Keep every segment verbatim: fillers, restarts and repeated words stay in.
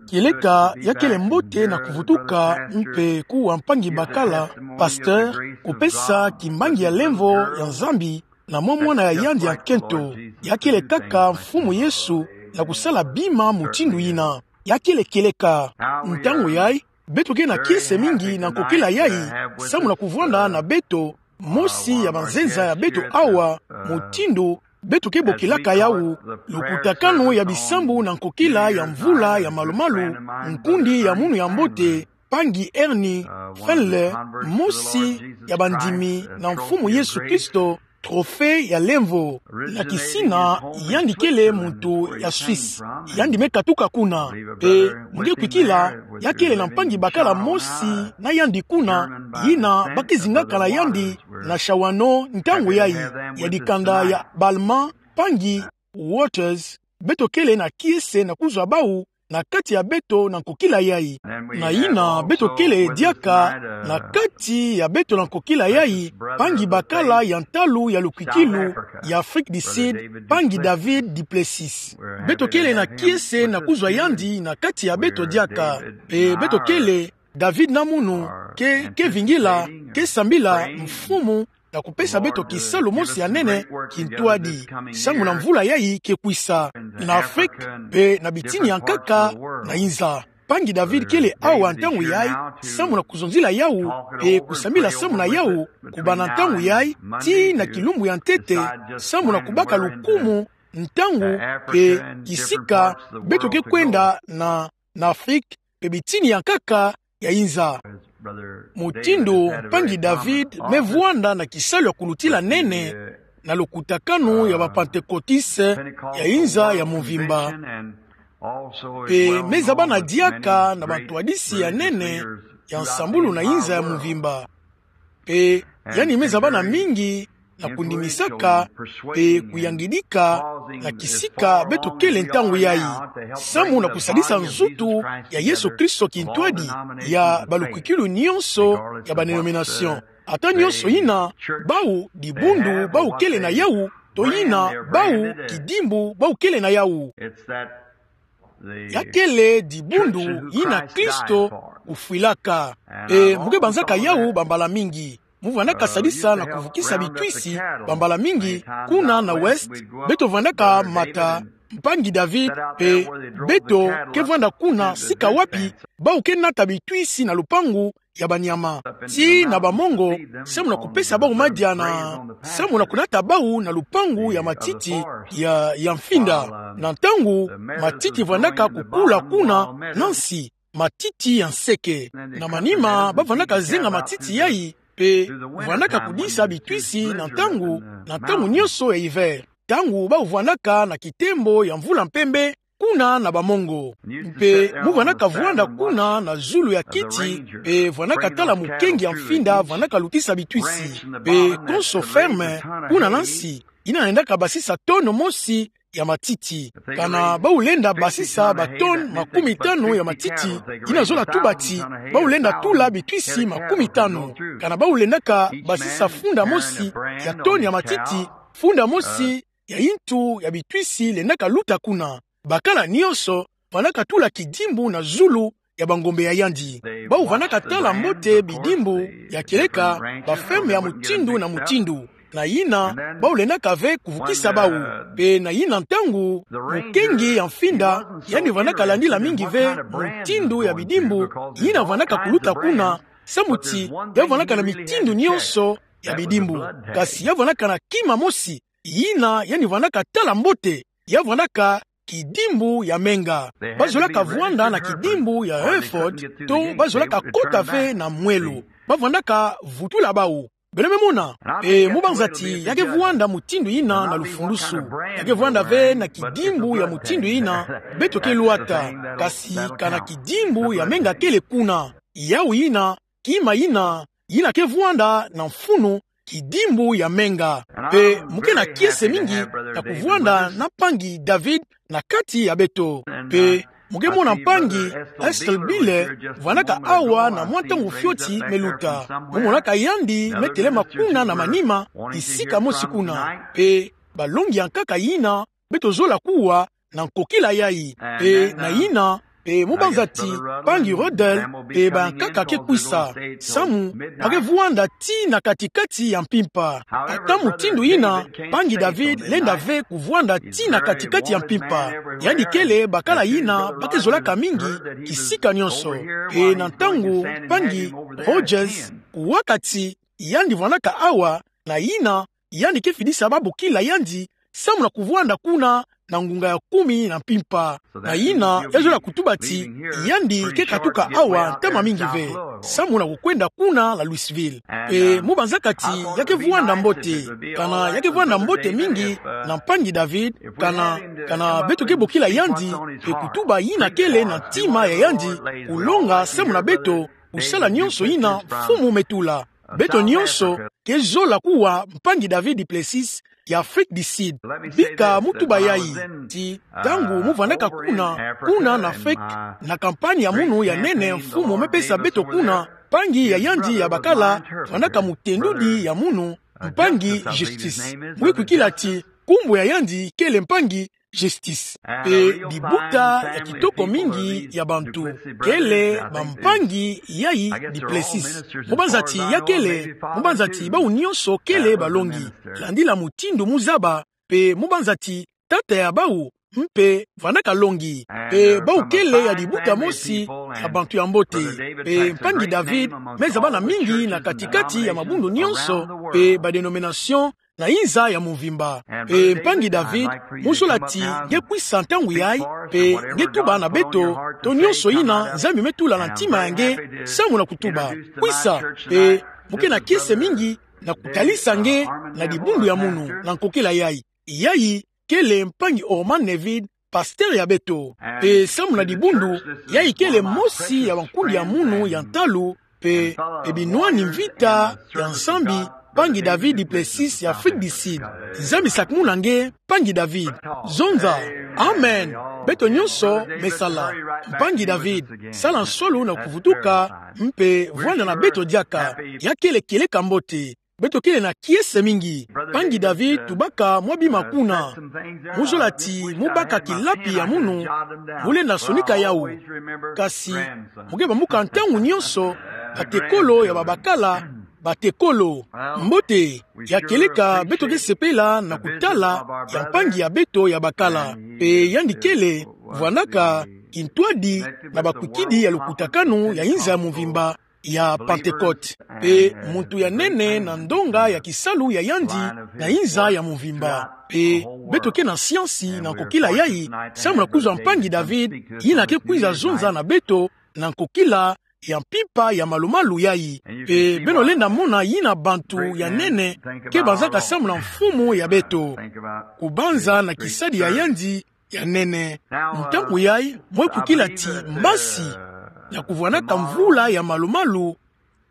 Kieleka ya kele mbote na kuvutuka mpe kuwa mpangi bakala, pasteur, kupesa kimbangi ya lemvo ya Nzambi na mwa mwana ya yandi ya nkento. Ya kele kaka Mfumu Yesu na kusala bima mutindu yina. Ya kele kieleka. Ntangu yayi, beto ke na kiese mingi na nkokila yayi, samu na kuvwanda na beto, mosi ya banzenza ya beto awa, mutindu beto ke bokilaka yawu, lukutakanu ya bisambu na nkokila ya mvula ya malumalu, nkundi ya munu ya mbote, mpangi Ernie Fenler, mosi ya bandimi na Mfumu Yesu Kristo, trophée ya lemvo. Na kisina, yandi kele muntu ya Suisse. Yandi me katuka kuna. Mpe, mu nge kwikila, ya kele na mpangi bakala mosi na yandi kuna, yina ba ke zingaka na yandi na shawano ntangu yayi, ya dikanda ya Balma, mpangi Waters, beto kele na kiese na kuzwa bawu na kati ya beto na nkokila yayi. Na yina beto kele diaka na kati ya beto na nkokila yayi, mpangi bakala ya ntalu ya lukwikilu ya Afrique du Sud, mpangi David du Plessis. Beto kele na kiese na kuzwa yandi na kati ya beto diaka. Mpe beto kele, David na munu, ke, ke vingila, ke sambila, Mfumu, na kupesa beto kisalu mosi ya nene, kintwadi, samu na mvula yayi ke kwisa, na Afrique, mpe na bitini ya nkaka, na inza. Mpangi David kele awa ntangu yayi, samu na kuzonzila yawu, mpe kusambila samu na yawu, kubanda ntangu yayi, tii na kilumbu ya ntete, samu na kubaka lukumu, ntangu, mpe kisika, beto ke kwenda na, na Afrique, mpe bitini ya nkaka, ya inza. Mutindu mpangi David me vwanda na kisalu ya kulutila nene na lukutakanu ya ba Pentecôtistes ya inza ya mvimba. Mpe me zabana diaka na bantwadisi ya nene ya nsambulu na inza ya mvimba. Mpe yandi me zabana mingi na kundimisaka mpe kuyangidika na kisika beto kele ntangu yayi, samu na kusadisa nzutu ya Yesu Kristo kintwadi ya balukwikilu nyonso ya ba dénomination. Ata nyonso yina bawu dibundu bawu kele na yawu, to yina bawu kidimbu bawu kele na yawu. Ya kele dibundu yina Kristo kufwilaka. Mpe mu ke banzaka yawu bambala mingi. Mu vwandaka sadisa na kuvukisa bitwisi bambala mingi kuna na Ouest, beto vwandaka mata mpangi David, mpe beto ke vwanda kuna sika wapi bawu ke nata bitwisi na lupangu ya banyama. Tii na bamongo, samu na kupesa bawu madiana, samu na kunata bawu na lupangu ya matiti ya, ya mfinda. Na ntangu matiti vwandaka kukula kuna na nsi, matiti ya nseke. Na manima ba vwandaka zenga matiti yayi, mpe vwandaka kudisa bitwisi na ntangu, na ntangu nyonso ya hiver. Ntangu bawu vwandaka na kitembo ya mvula mpembe, kuna na bamongo. Mpe mu vwandaka vwanda kuna na zulu ya kiti, mpe vwandaka tala mukengi ya mfinda vwandaka lutisa bitwisi. Mpe konso ferme, kuna na nsi, yina lendaka basisa tonne mosi ya matiti. Kana bawu lenda basisa ba tonne makumi tanu ya matiti, yina zola tuba ti bawu lenda tula bitwisi makumi tanu. Kana bawu lendaka basisa funda mosi ya tonne ya matiti, funda mosi ya yintu ya bitwisi lendaka luta kuna. Bakala nyonso vwandaka tula kidimbu na zulu ya bangombe ya yandi. Bawu vwandaka tala mbote bidimbu ya kieleka ba ferme ya mutindu na mutindu. Na yina bawu lendaka ve kuvukisa bawu. Mpe na yina ntangu, mukengi ya mfinda, yandi vwandaka landila mingi ve mutindu ya bidimbu yina vwandaka kuluta kuna, samu ti ya vwandaka na mitindu nyonso ya bidimbu. Kasi ya vwandaka na kima mosi yina yandi vwandaka tala mbote, ya vwandaka kidimbu ya menga. Ba zolaka vwanda na kidimbu ya Hereford, to ba zolaka kota ve na mwelo. Ba vwandaka vutula bawu. Beno me mona, mpe mu banza ti ya ke vwanda mutindu yina na lufundusu. Ya ke vwanda ve na kidimbu ya mutindu yina beto ke lwata, kasi kana kidimbu ya menga kele kuna. Yawu yina, kima yina, yina ke vwanda na mfunu, kidimbu ya menga. Mpe mu ke na kiese mingi na kuvwanda na mpangi David na kati ya beto. Mpe mu ke mona mpangi Estill Biller vwandaka awa na mwa ntangu fioti me luta. Mu monaka yandi me telema kuna na manima, esika mosi kuna. Mpe balongi ya nkaka yina beto zola kuwa na nkokila yayi. Mpe na yina, Mpe mu banza ti mpangi Ruddell mpe bayankaka ke kwisa, samu ba ke vwanda tii na kati-kati ya mpimpa. Ata mutindu yina, mpangi David lenda ve kuvwanda tii na kati-kati ya mpimpa. Yandi kele bakala yina ba ke zolaka mingi kisika nionso. Mpe na ntangu mpangi Rogers kuwaka ti yandi vwandaka awa, na yina yandi ke fidisa babokila yandi samu na kuvwanda kuna na ngunga ya kumi na mpimpa. Na yina ya zola kutuba ti yandi ke katuka awa ntama mingi ve, samu na kukwenda kuna na Louisville. Mpe mu banza kati ya ke vwanda mbote, kana ya ke vwanda mbote mingi na mpangi David, kana, kana beto ke bokila yandi, mpe kutuba yina kele na ntima ya yandi, kulonga samu na beto, kusala nionso yina Mfumu me tula. Beto nionso ke zola kuwa mpangi David du Plessis ya Afrique du Sud. Bika mu tuba yayi ti ntangu mu vwandaka kuna, kuna na Afrique, na kampani ya munu ya nene Mfumu me pesa beto kuna, mpangi ya yandi ya bakala vwandaka mutendudi ya munu, mpangi Justice. Mu ke kwikila ti nkumbu ya yandi kele mpangi Justice. Mpe dibuta ya kitoko mingi ya bantu kele bampangi yayi du Plessis. Mu banza ti ya kele, mu banza ti bawu nionso kele balongi, landila mutindu mu zaba, mpe mu banza ti tata ya bawu mpe vwandaka longi. Mpe bawu kele ya dibuta mosi ya bantu ya mbote. Mpe mpangi David me zabana mingi na kati-kati ya mabundu nionso mpe ba dénomination na inza ya mvimba. Mpe mpangi David, mu zola ti nge kwisa ntangu yayi, mpe nge tuba na beto to nionso yina Nzambi me tula na ntima ya nge, samu na kutuba. Kwisa, mpe mu ke na kiese mingi na kutalisa nge na dibundu ya munu na nkokila yayi. Yayi kele mpangi Orman Neville, pasteur ya beto. Mpe samu na dibundu, yayi kele mosi ya bankundi ya munu ya ntalu, mpe, mpe binwani mvita ya Nzambi, mpangi David du Plessis ya Afrique du Sud. Nzambi sakumuna nge, mpangi David. Zonza. Amen. Beto nionso me sala. Mpangi David, sala nsolo na kuvutuka, mpe vwanda na beto diaka. Ya kele kieleka mbote. Beto kele na kiese mingi. Mpangi David, tubaka mwa bima kuna. Mu zola ti mu baka kilapi ya munu, mu lenda sonika yawu. Kasi, mu ke bambuka ntangu nionso batekolo ya babakala, batekolo. Mbote, ya kieleka beto ke sepela na kutala ya mpangi ya beto ya bakala. Mpe yandi kele, vwandaka, kintwadi, na bakwikidi ya lukutakanu ya inza ya mvimba, ya Pentecôte. Mpe muntu ya nene na ndonga ya kisalu ya yandi na inza ya mvimba. Mpe beto ke na siansi na nkokila yayi, samu na kuzwa mpangi David, yina ke kwiza zonza na beto, na nkokila ya mpimpa ya malu-malu yayi. Mpe beno lenda mona yina bantu ya nene ke banzaka samu na Mfumu ya beto. Kubanza na kisadi ya yandi, ya nene. Ntangu yayi, mwe kukila ti mbasi ya kuvwanaka mvula ya malu-malu,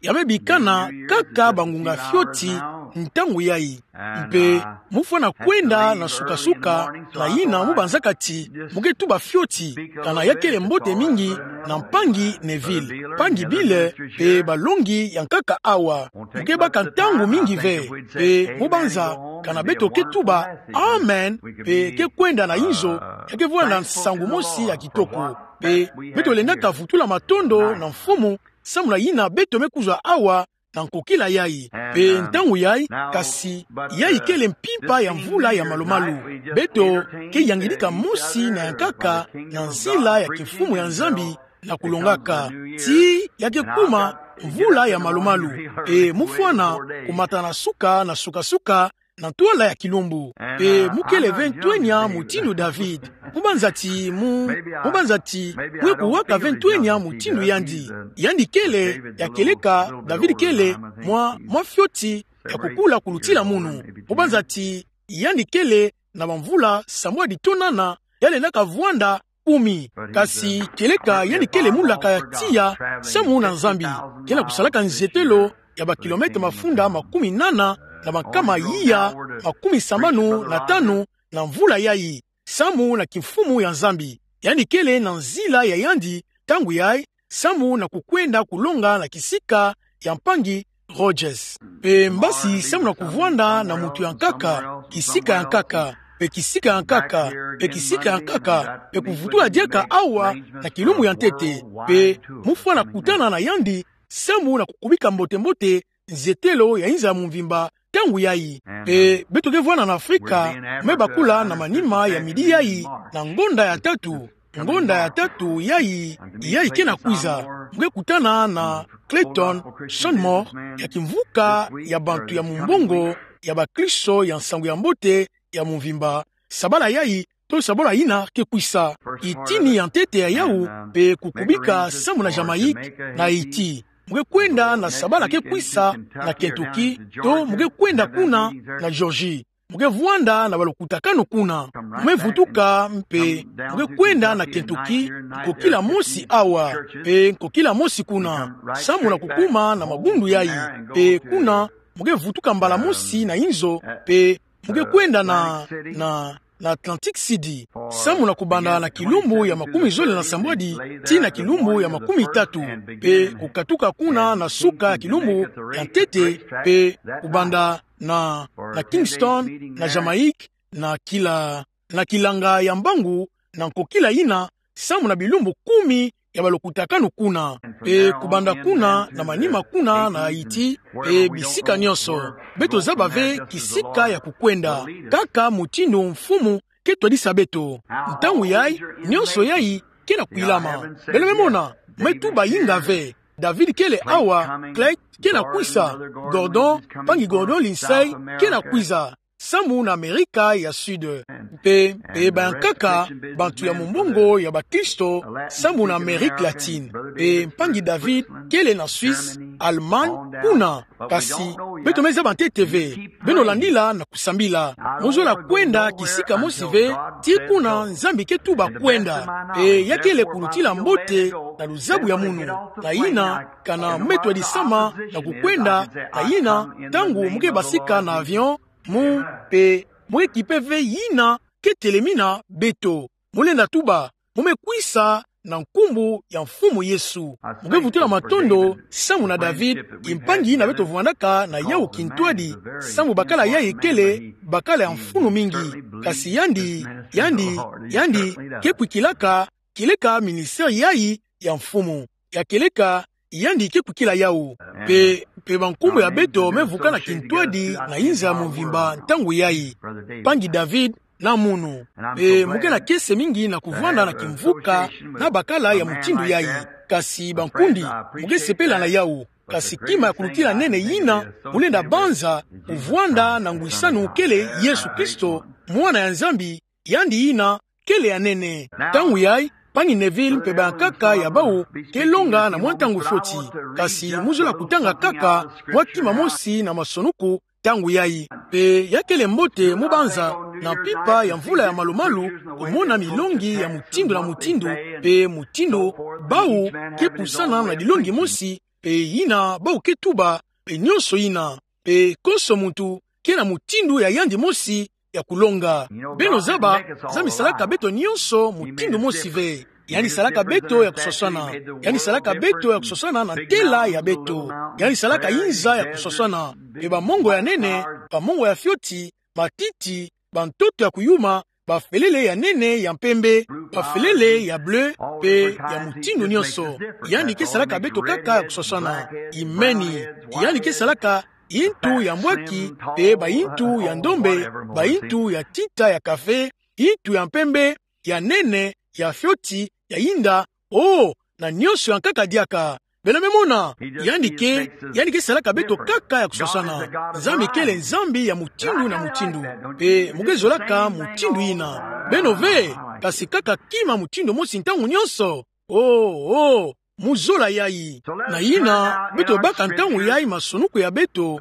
ya me bikana kaka bangunga fioti, ntangu yayi. Mpe, mu fwana kwenda na suka-suka, na yina mu banzaka ti, mu ke tuba fioti, kana ya kele mbote mingi, na mpangi Neville, mpangi Bile, mpe balongi ya nkaka awa. Mu ke baka ntangu mingi ve, mpe mu banza, kana beto ke tuba, amen, mpe ke kwenda na inzo, ya ke vwanda nsangu mosi ya kitoko. Mpe beto lendaka vutula matondo na Mfumu, samu na yina beto me kuzwa awa, na nkokila yayi. Mpe ntangu yayi, kasi, yayi kele mpimpa ya mvula ya malu-malu. Beto ke yangidika mosi na ya nkaka, na nzila ya kimfumu ya Nzambi, na kulongaka. Ti ya ke kuma mvula ya malu-malu. Mpe mu fwana, kumata na suka, na suka-suka, na ntwala ya kilumbu. Mpe mu kele ve ntwenya mutindu David. Mu banza ti mu, mu banza ti, mu ye kuwaka ve ntwenya mutindu yandi. Yandi kele, ya kieleka, David kele, mwa, mwa fioti, ya kukula kulutila munu. Mu banza ti, yandi kele, na bamvula, sambwadi to nana, ya lendaka vwanda, kumi. Kasi kieleka yandi kele mulaka ya tiya, samu na Nzambi. Kele kusalaka nzietelo ya ba kilomètre mafunda makumi nana, na bankama iya, makumi sambanu na tanu, na mvula yayi. Samu na kimfumu ya Nzambi. Yandi kele na nzila ya yandi, ntangu yayi, samu na kukwenda kulonga na kisika ya mpangi Rogers. Mpe mbasi samu na kuvwanda na muntu ya nkaka, kisika ya nkaka. pe kisika ya nkaka, pe kisika ya nkaka, pe kuvutula diaka awa na kilumbu ya ntete, pe mufwana kutana na yandi, samu na kukubika mbote-mbote nzetelo ya inza ya mvimba, ntangu yayi. Pe beto ke vwanda na Afrika, me bakula na manima ya midi yayi, na ngonda ya tatu, ngonda ya tatu yayi, yayi ke na kwiza, mu ke kutana na Clayton Shelmore, ya kimvuka ya bantu ya mumbongo ya bakristo ya nsangu ya mbote ya mvimba. Sabala yayi, to sabala yina ke kwisa, itini ya ntete ya yawu, pe kukubika samu na Jamaïque, na Haïti. Mu ke kwenda na sabala ke kwisa na Kentucky, to mu ke kwenda kuna na Georgie. Mu ke vwanda na balokutakanu kuna. Mu me vutuka mpe mu ke kwenda na Kentucky, nkokila mosi awa, pe nkokila mosi kuna, samu na kukuma na mabundu yayi, pe kuna mu ke vutuka mbala mosi na inzo, pe mu ke kwenda na, na, na Atlantic City, samu na kubanda na kilumbu ya makumi zole na sambwadi tii na kilumbu ya makumi tatu, pe kukatuka kuna na suka ya kilumbu ya ntete, pe kubanda na, na Kingston, na Jamaïque, na kila, na kilanga ya mbangu, na nkokila yina, samu na bilumbu kumi ya balokutakanu kuna, pe kubanda kuna na manima kuna na Haïti, pe bisika nyonso. Beto zaba ve kisika ya kukwenda, kaka mutindu Mfumu ke twadisa beto. Ntangu yayi, nyonso yayi ke na kwilama. Beno me mona, me tuba inga ve. David kele awa, Clegg ke na kwisa, Gordon, mpangi Gordon Lindsay ke na kwiza, samu na Amerika ya Sud. Mpe, mpe bayankaka, bantu ya mumbongo ya bakristo, samu na Amérique latine. Mpe mpangi David kele na Suisse, Allemagne, kuna. Kasi beto me zaba ntete ve. Beno landila na kusambila. Mu zola kwenda kisika mosi ve, tii kuna Nzambi ke tuba kwenda. Mpe ya kele kulutila mbote na luzabu ya munu. Na yina, kana me twadisama na kukwenda, na yina, ntangu mu ke basika na avion, mu, mpe, mu ke kipe ve yina ke telemina beto. Mu lenda tuba, mu me kwisa na nkumbu ya Mfumu Yesu. Mu ke vutula matondo, samu na David, mpangi yina beto vwandaka na yawu kintwadi, samu bakala yayi kele bakala ya mfunu mingi, kasi yandi, yandi, yandi ke kwikilaka, kieleka ministère yayi ya Mfumu. Ya kieleka, yandi ke kwikila yawu. Mpe, mpe bankumbu ya beto me vukana kintwadi na inza ya mvimba ntangu yayi. Mpangi David na munu. Mpe mu ke na kiese mingi na kuvwanda na kimvuka na bakala ya mutindu yayi. Kasi bankundi, mu ke sepela na yawu. Kasi kima ya kulutila nene yina mu lenda banza, kuvwanda na ngwisanu kele Yesu Kristo, Mwana ya Nzambi, yandi yina kele ya nene. Ntangu yayi, mpangi Neville mpe bayankaka ya bawu ke longa na mwa ntangu fioti. Kasi mu zola kutanga kaka mwa kima mosi na masonuku ntangu yayi. Mpe ya kele mbote mu banza, na mpimpa ya mvula ya malu-malu, kumona milongi ya mutindu na mutindu, mpe mutindu bawu ke pusana na dilongi mosi, mpe yina bawu ke tuba, mpe nyonso yina. Mpe konso muntu ke na mutindu ya yandi mosi ya kulonga. Beno zaba, Nzambi salaka beto nyonso mutindu mosi ve. Yandi salaka beto ya kuswaswana. Yandi salaka beto ya kuswaswana na ntela ya beto. Yandi salaka inza ya kuswaswana. Mpe bamongo ya nene, bamongo ya fioti, matiti, bantoto ya kuyuma, bafelele ya nene ya mpembe, bafelele ya bleu, mpe ya mutindu nyonso. Yandi ke salaka beto kaka ya kuswaswana. Imeni. Yandi ke salaka yintu ya mbwaki, mpe bayintu ya ndombe, bayintu ya tinta ya kafe, yintu ya mpembe, ya nene, ya fioti, ya yinda, oh, na nyonso ya nkaka diaka. Beno me mona, yandi ke, yandi ke salaka beto kaka ya kuswaswana. Nzambi kele Nzambi ya mutindu na mutindu. Mpe mu ke zolaka mutindu yina. Beno ve, kasi kaka kima mutindu mosi ntangu nyonso. Oh, oh, mu zola yayi. Na yina, beto baka ntangu yayi masonuku ya beto,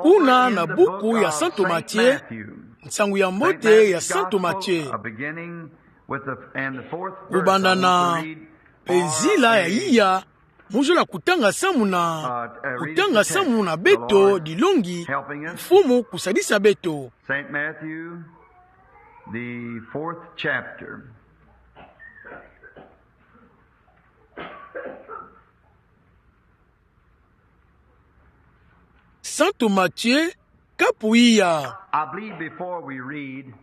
kuna na buku ya Santu Matthieu, Nsangu ya Mbote ya Santu Matthieu. Kubanda na, mpe nzila ya iya, mu zola kutanga samu na, kutanga samu na beto dilongi, Mfumu kusadisa beto. Saint Matthew, the fourth chapter. Santu Matthieu, kapu iya. I believe before we read,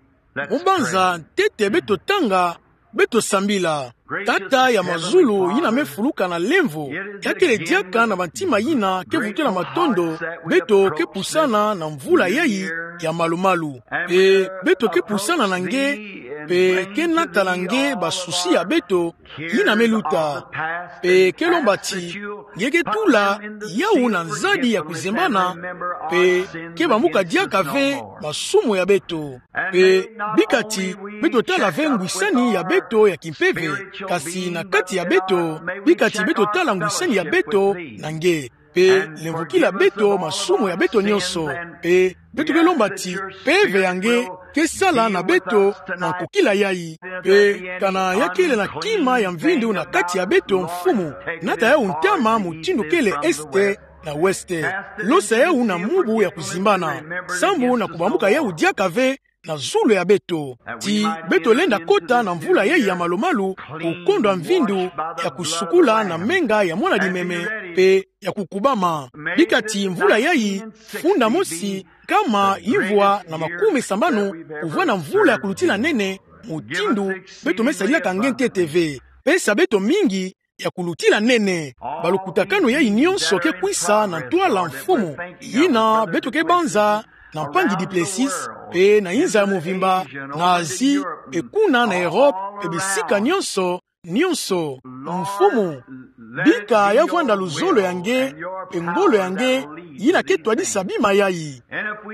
Mu banza ntete beto tanga, beto sambila. Tata ya mazulu, yina me fuluka na lemvo, ya kele diaka na bantima yina ke vutula matondo, beto ke pusana na mvula yayi ya malu-malu. Mpe beto ke pusana na nge, mpe ke nata na nge basusi ya beto, yina me luta. Mpe ke lomba ti nge ke tula yawu na nzadi ya kuzimbana, mpe ke bambuka diaka ve masumu ya beto. Mpe bika ti beto tala ve ngwisani ya beto ya kimpeve, kasi na kati ya beto, bika ti beto tala ngwisani ya beto na nge. Mpe lemvokila beto masumu ya beto nyonso. Mpe beto ke lomba ti mpeve ya nge ke sala na beto na nkokila yayi. Mpe kana ya kele na kima ya mvindu na kati ya beto, Mfumu, nata yawu ntama mutindu kele este na weste. Losa yawu na mubu ya kuzimbana, sambu na kubambuka yawu diaka ve na zulu ya beto. Ti beto lenda kota na mvula yayi ya malu-malu, kukondwa mvindu ya kusukula na menga ya mwana-dimeme, mpe ya kukubama. Bika ti mvula yayi, funda mosi, nkama ivwa na makume sambanu, kuvwanda mvula ya kulutila nene, mutindu beto me sadilaka nge ntete ve. Pesa beto mingi ya kulutila nene. Balukutakanu yayi nyonso ke kwisa na ntwala, Mfumu, yina beto ke banza na mpangi Duplessis, mpe na inza ya mvimba, na Asie, mpe kuna na Europe, mpe bisika nyonso, nyonso. Mfumu, bika ya vwanda luzolo ya nge, mpe ngolo ya nge, yina ke twadisa bima yayi.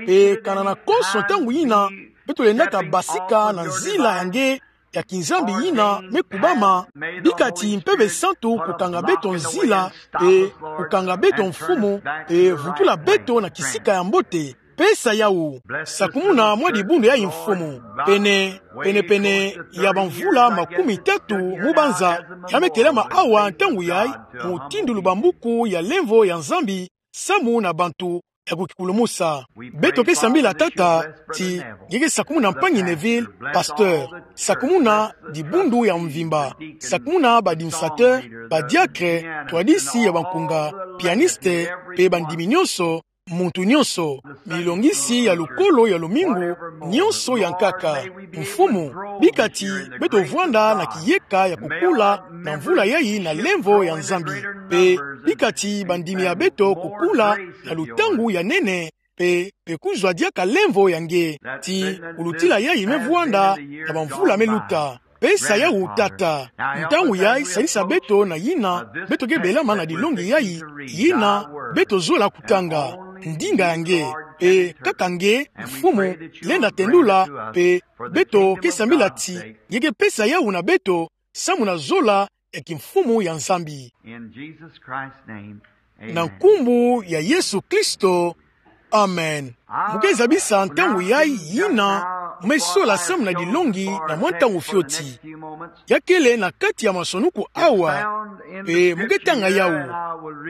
Mpe kana na konso ntangu yina beto lendaka basika na nzila ya nge ya kinzambi yina me kubama, bika ti Mpeve Santu kukanga beto nzila, mpe kukanga beto, Mfumu, mpe vutula beto na kisika ya mbote. Pesa yawu. Sakumuna mwa dibundu yayi, Mfumu. Pene, pene-pene ya bamvula makumi tatu mu banza, ya me telama awa ntangu yayi, mutindu lubambuku ya lemvo ya Nzambi, samu na bantu ya kukikulumusa. Beto ke sambila, Tata, ti nge ke sakumuna mpangi Neville, pasteur, sakumuna dibundu ya mvimba, sakumuna ba administrateur, ba diacre, twadisi ya bankunga, pianiste, mpe bandimi nyonso, muntu nyonso, milongisi ya lukolo ya lumingu, nyonso ya nkaka. Mfumu, bika ti beto vwanda na kiyeka ya kukula na mvula yayi na lemvo ya Nzambi. Mpe bika ti bandimi ya beto kukula na lutangu ya nene, mpe, mpe kuzwa diaka lemvo ya nge. Ti kulutila yayi me vwanda na bamvula me luta. Pesa yawu, Tata. Ntangu yayi sadisa beto na yina beto ke belama na dilongi yayi, yina beto zola kutanga. Ndinga ya nge, mpe kaka nge, Mfumu, lenda tendula, mpe beto ke sambila ti nge ke pesa yawu na beto, samu na zola ya kimfumu ya Nzambi. In Jesus Christ's name, amen. Na nkumbu ya Yesu Kristo, amen. Mu ke zabisa ntangu yayi yina mu me sola samu na dilongi na mwa ntangu fioti. Ya kele na kati ya masonuku awa, mpe mu ke tanga yawu.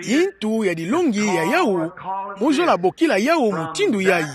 Yintu ya dilongi ya yawu, mu zola bokila yawu mutindu yayi.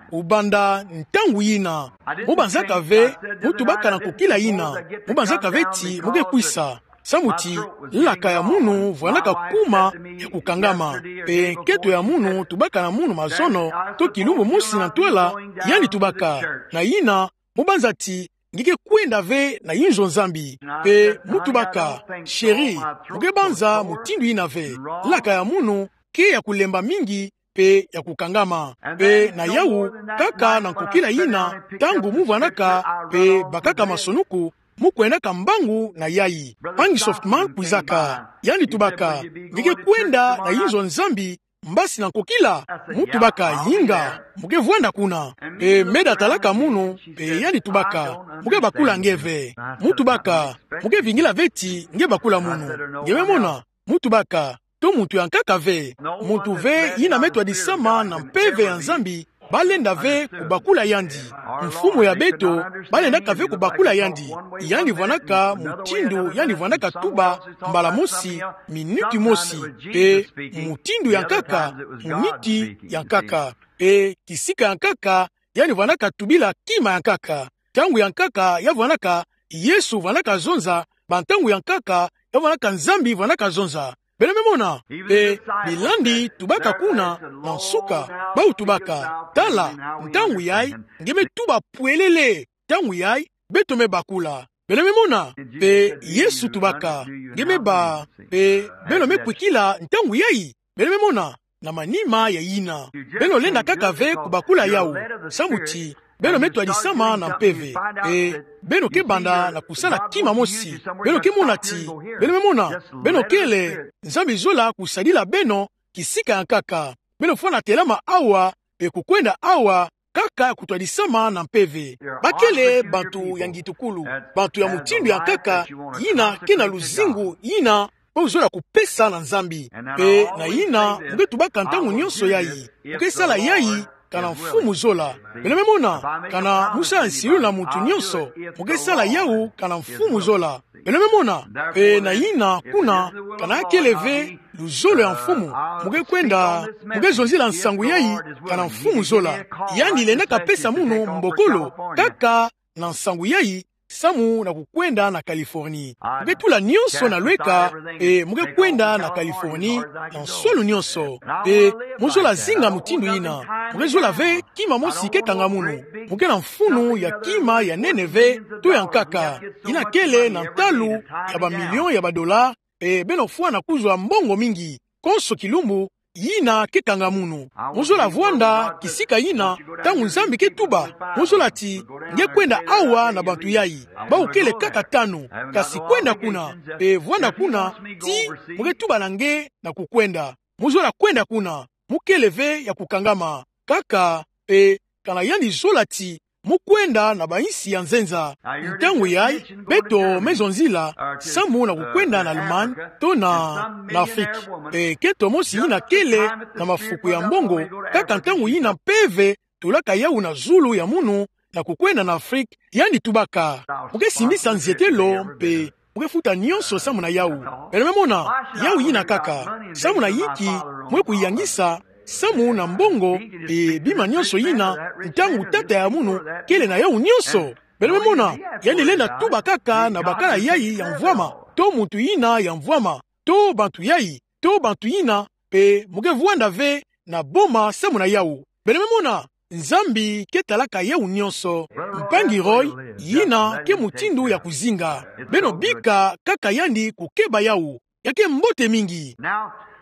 Kubanda ntangu yina, mu banzaka ve mu tubaka na nkokila yina, mu banzaka ve ti mu ke kwisa. Samu ti laka ya munu vwanaka kuma ya kukangama, mpe nketo ya munu tubaka na munu mazono, to kilumbu mosi na ntwala, yandi tubaka. Na yina, mu banza ti nge ke kwenda ve na yinzo Nzambi. Mpe mu tubaka, chéri, mu ke banza mutindu yina ve. Laka ya munu ke ya kulemba mingi, mpe ya kukangama. Mpe na yawu, kaka na nkokila yina, ntangu mu vwanaka mpe bakaka masonuku, mu kwendaka mbangu na yayi. Mpangi Softman kwizaka, yandi tubaka, nge ke kwenda na yinzo Nzambi, mbasi na nkokila? Mu tubaka, yinga, mu ke vwanda kuna. Mpe meda talaka munu, mpe yandi tubaka, mu ke bakula nge ve. Mu tubaka, mu ke vingila ve ti nge bakula munu. Nge me mona, mu tubaka, to muntu ya nkaka ve. Muntu ve yina me twadisama na mpeve ya Nzambi, balenda ve kubakula yandi. Mfumu ya beto, balendaka ve kubakula yandi. Yandi vwanaka mutindu yandi vwanaka tuba, mbala mosi, minuti mosi. Mpe mutindu ya nkaka, muniti ya nkaka. Mpe kisika ya nkaka, yandi vwanaka tubila kima ya nkaka. Ntangu ya nkaka, ya vwanaka, Yesu vwanaka zonza, bantangu ya nkaka, ya vwanaka Nzambi vwanaka zonza. Beno me mona, mpe bilandi tubaka kuna, na nsuka, bawu tubaka, tala, ntangu yayi, nge me tuba pwelele, ntangu yai, beto me bakula. Beno me mona, pe Yesu tubaka, nge me bâ, pe beno me kwikila ntangu yai, beno me mona, na manima ya yina. Beno lenda kaka ve kubakula yawu, samu ti, beno me twadisama na mpeve, pe, beno ke banda na kusala kima mosi, beno ke mona ti, beno me mona, beno kele, Nzambi zola kusadila beno, kisika ya nkaka, beno fwana telama awa, pe kukwenda awa, kaka kutwadisama na mpeve. Bakele bantu ya ngitukulu, bantu ya mutindu ya nkaka, yina ke na luzingu, yina, bo zola kupesa na Nzambi. Pe na yina, mu ke tubaka ntangu nyonso yai, mu ke sala yai, kana mfumu zola. Beno me mona, kana mu sa nsilu na muntu nyonso, mu ke sala yawu, kana mfumu zola. Beno me mona, pe na yina kuna, kana kele ve luzolo ya mfumu, mu ke kwenda, mu ke zonzila nsangu yai, kana mfumu zola. Yandi lenda kapesa munu mbokolo, kaka na nsangu yai, samu na kukwenda na Californie. Mu ke tula nyonso na lweka, e mu ke kwenda na Californie, na nswalu nyonso. Pe mu zola zinga mutindu yina. Mu ke zola ve kima mosi ke kanga munu. Mu ke na mfunu ya kima ya nene ve, to ya nkaka. Yina kele na ntalu ya ba million ya ba dollars, e beno fwana kuzwa mbongo mingi. Konso kilumbu, yina ke kanga munu. Mu zola vwanda, kisika yina, ntangu Nzambi ke tuba. Mu zola ti, nge kwenda awa na bantu yai. Bawu kele kaka tanu, kasi kwenda kuna, pe vwanda kuna, ti, mu ke tuba na nge na kukwenda. Mu zola kwenda kuna, mu kele ve ya kukangama. Kaka, pe, kana yandi zola ti, mu kwenda na ba insi ya nzenza. Ntangu yai, beto me zonzila, samu na kukwenda na Allemagne, to na, na Afrique. E, kento mosi yina kele, na mafuku ya mbongo, kaka ntangu yina mpeve, tulaka yawu na zulu ya munu, na kukwenda na Afrique, yandi tubaka. Mu ke simbisa nzietelo, pe, mu ke futa nyonso samu na yawu. Beno me mona, yawu yina kaka. Samu na yinki, mu ke kuyangisa, samu na mbongo, pe bima nyonso yina, ntangu tata ya munu, kele na yawu nyonso. Beno me mona, yandi lenda tuba kaka na bakala yai ya mvwama, to muntu yina ya mvwama, to bantu yai, to bantu yina, pe mu ke vwanda ve, na boma samu na yawu. Beno me mona, Nzambi ke talaka yawu nyonso. Mpangi Roy, yina ke mutindu ya kuzinga. Beno bika kaka yandi kukeba yawu. Ya ke mbote mingi.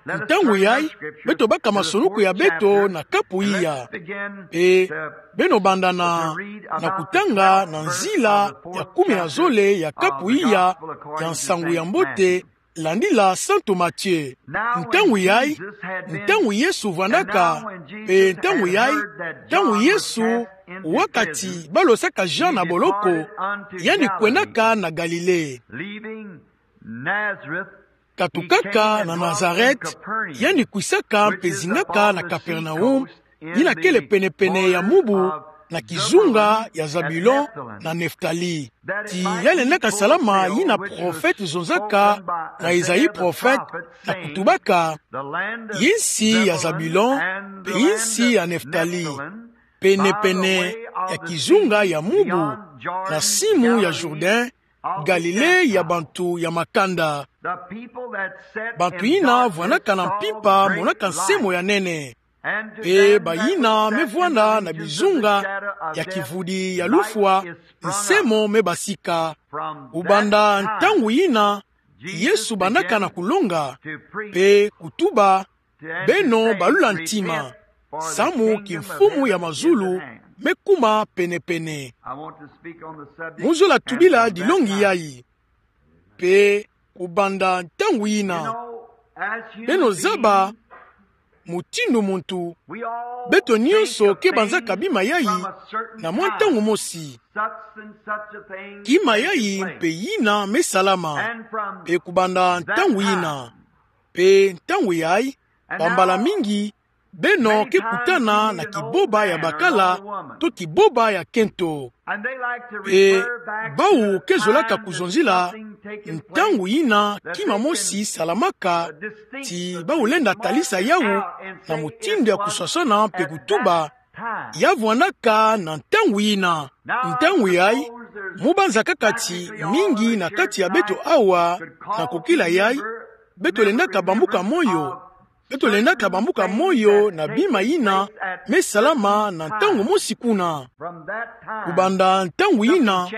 Ntangu yai, beto baka masoniku ya beto na kapu iya. E, beno banda na, na kutanga na nzila ya kumi na zole ya kapu iya, ya nsangu ya mbote, landila Santu Matthieu. Ntangu yai, ntangu Yesu vwandaka, pe ntangu yai, ntangu Yesu, wakati balosaka Jean na boloko, yandi kwendaka na Galilée. Katukaka na Nazareth, yandi kwisaka mpe zingaka na Capernaum, yina kele penepene ya mubu na kizunga ya Zabulon na Neftali. Ti ya lendaka salama yina prophète zonzaka na Esaïe prophète na kutubaka: Yinsi ya Zabulon mpe yinsi ya Neftali, penepene ya kizunga ya mubu, na simu ya Jourdain, Galilée ya bantu ya makanda. Bantu yina vwandaka na mpimpa monaka nsemo ya nene. Mpe bayina me vwanda na bizunga ya kivudi ya lufwa, nsemo me basika. Kubanda ntangu yina, Yesu bandaka na kulonga, mpe kutuba: Beno balula ntima, samu kimfumu ya mazulu me kuma penepene. Mu zola tubila dilongi yai. Mpe kubanda ntangu yina, beno zaba, mutindu muntu, beto nyonso ke banzaka bima yai na mwa ntangu mosi. Kima yai mpe yina me salama. Mpe kubanda ntangu yina, mpe ntangu yai, bambala mingi, beno ke kutana na kiboba ya bakala, to kiboba ya kento. Mpe bawu ke zolaka kuzonzila ntangu yina kima mosi salamaka, ti bawu lenda talisa yawu na mutindu ya kuswaswana mpe kutuba: Ya vwandaka na ntangu yina. Ntangu yai, mu banza kaka ti mingi na kati ya beto awa, na kokila yai, beto lendaka bambuka moyo, Beto lendaka bambuka moyo na bima yina me salama na ntangu mosi kuna. Kubanda ntangu yina,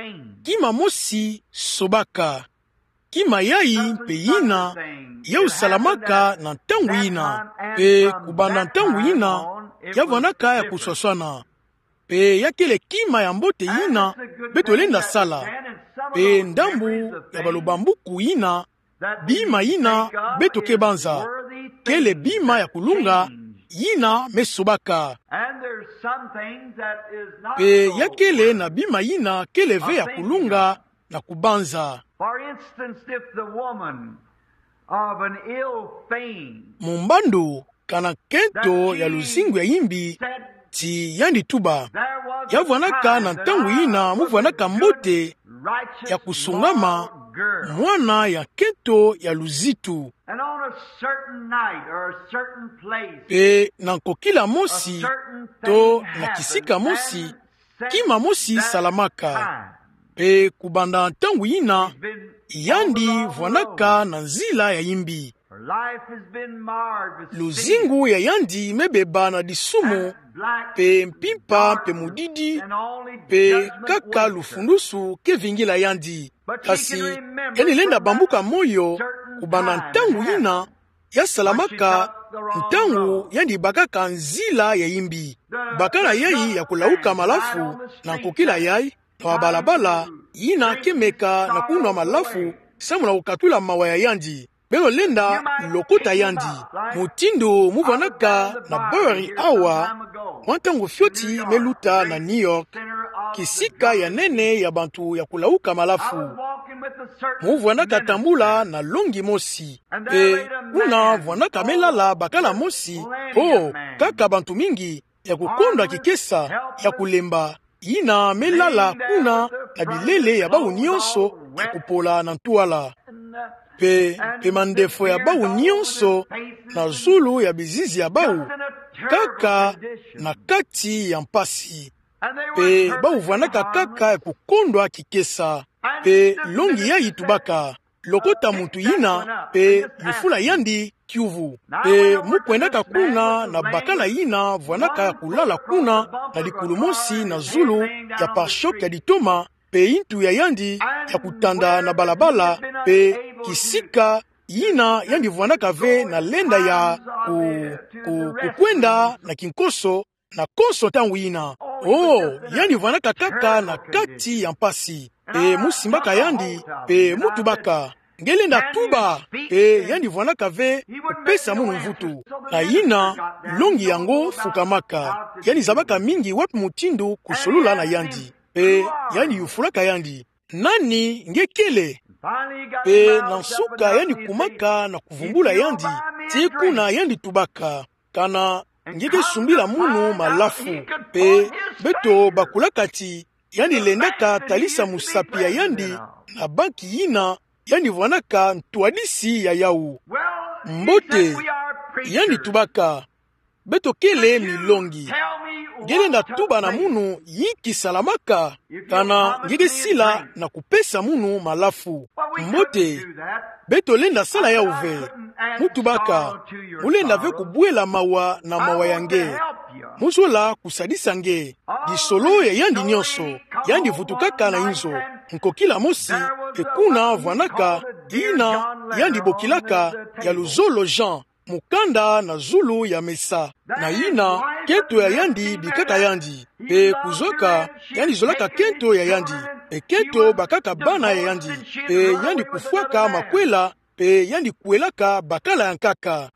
kima mosi sobaka. Kima yayi mpe yina ya kusalamaka na ntangu yina. Mpe kubanda ntangu yina, ya vwandaka ya kuswaswana. Mpe ya kele kima ya mbote yina beto lenda sala. Mpe ndambu ya balobambuku yina, bima yina beto ke banza, kele bima ya kulunga yina me sobaka. Mpe ya kele na bima yina kele ve ya kulunga na kubanza. Mu mbandu, kana nkento ya luzingu ya yimbi ti yandi tuba, ya vwandaka na ntangu yina mu vwandaka mbote ya kusungama, mwana ya nkento ya luzitu. Mpe na nkokila mosi, to na kisika mosi, kima mosi salamaka. Mpe kubanda ntangu yina, yandi vwandaka na nzila ya yimbi. Luzingu ya yandi me beba na disumu, mpe mpimpa mpe mudidi, mpe kaka lufundusu ke vingila yandi. Kasi yandi lenda bambuka moyo, kubanda ntangu yina, ya salamaka ntangu yandi bakaka nzila ya yimbi. Bakala yayi ya kulauka malafu na nkokila yayi, na balabala yina ke meka na kunwa malafu, samu na kukatula mawa ya yandi. Beno lenda lokota yandi. Mutindu mu vwandaka na Burry awa, mwa ntangu fioti me luta na New York, kisika ya nene ya bantu ya kulauka malafu. Mu vwandaka tambula na longi mosi. Mpe kuna vwandaka me lala bakala mosi, oh, kaka bantu mingi, ya kukondwa kikesa, ya kulemba, yina me lala kuna na bilele ya bawu nyonso ya kupola na ntwala. Mpe, mpe mandefo ya bawu nyonso na zulu ya bizizi ya bawu, kaka na kati ya mpasi. Mpe bawu vwandaka kaka ya kukondwa kikesa. Mpe longi yayi tubaka, lokota muntu yina, mpe yufula yandi kiuvu. Mpe mu kwendaka kuna na bakala yina vwandaka ya kulala kuna na likulu mosi na zulu ya pare-choc ya ditoma, mpe yintu ya yandi ya kutanda na balabala, mpe kisika yina yandi vwandaka ve na lenda ya ku, ku, kukwenda na kinkoso, na konso ntangu yina. Oh, yandi vwandaka kaka na kati ya mpasi. Mpe mu simbaka yandi, mpe mu tubaka, nge lenda tuba. Mpe yandi vwandaka ve kupesa munu mvutu. Na yina, longi yango fukamaka. Yandi zabaka mingi wapi mutindu kusolula na yandi. Mpe yandi yufulaka yandi: Nani nge kele? Mpe na nsuka yandi kumaka na kuvumbula yandi, tii kuna yandi tubaka: Kana nge ke sumbila munu malafu? Mpe beto bakulaka ti yandi lendaka talisa musapi ya yandi na banki yina yandi vwandaka ntwadisi ya yawu. Mbote, yandi tubaka: Beto kele milongi. Nge lenda tuba na munu yinki salamaka, kana nge ke sila na kupesa munu malafu. Mbote, beto lenda sala yawu ve. Mu tubaka, mu lenda ve kubwela mawa na mawa ya nge. Mu zola kusadisa nge. Lisolo ya yandi nyonso, yandi vutukaka na inzo. Nkokila mosi, mpe kuna vwandaka yina yandi bokilaka ya luzolo Jean, mukanda na zulu ya mesa. Na yina, kento ya yandi bikaka yandi. Mpe kuzwaka, yandi zolaka kento ya yandi. Mpe kento bakaka bana ya yandi. Mpe yandi kufwaka makwela, mpe yandi kwelaka bakala ya nkaka.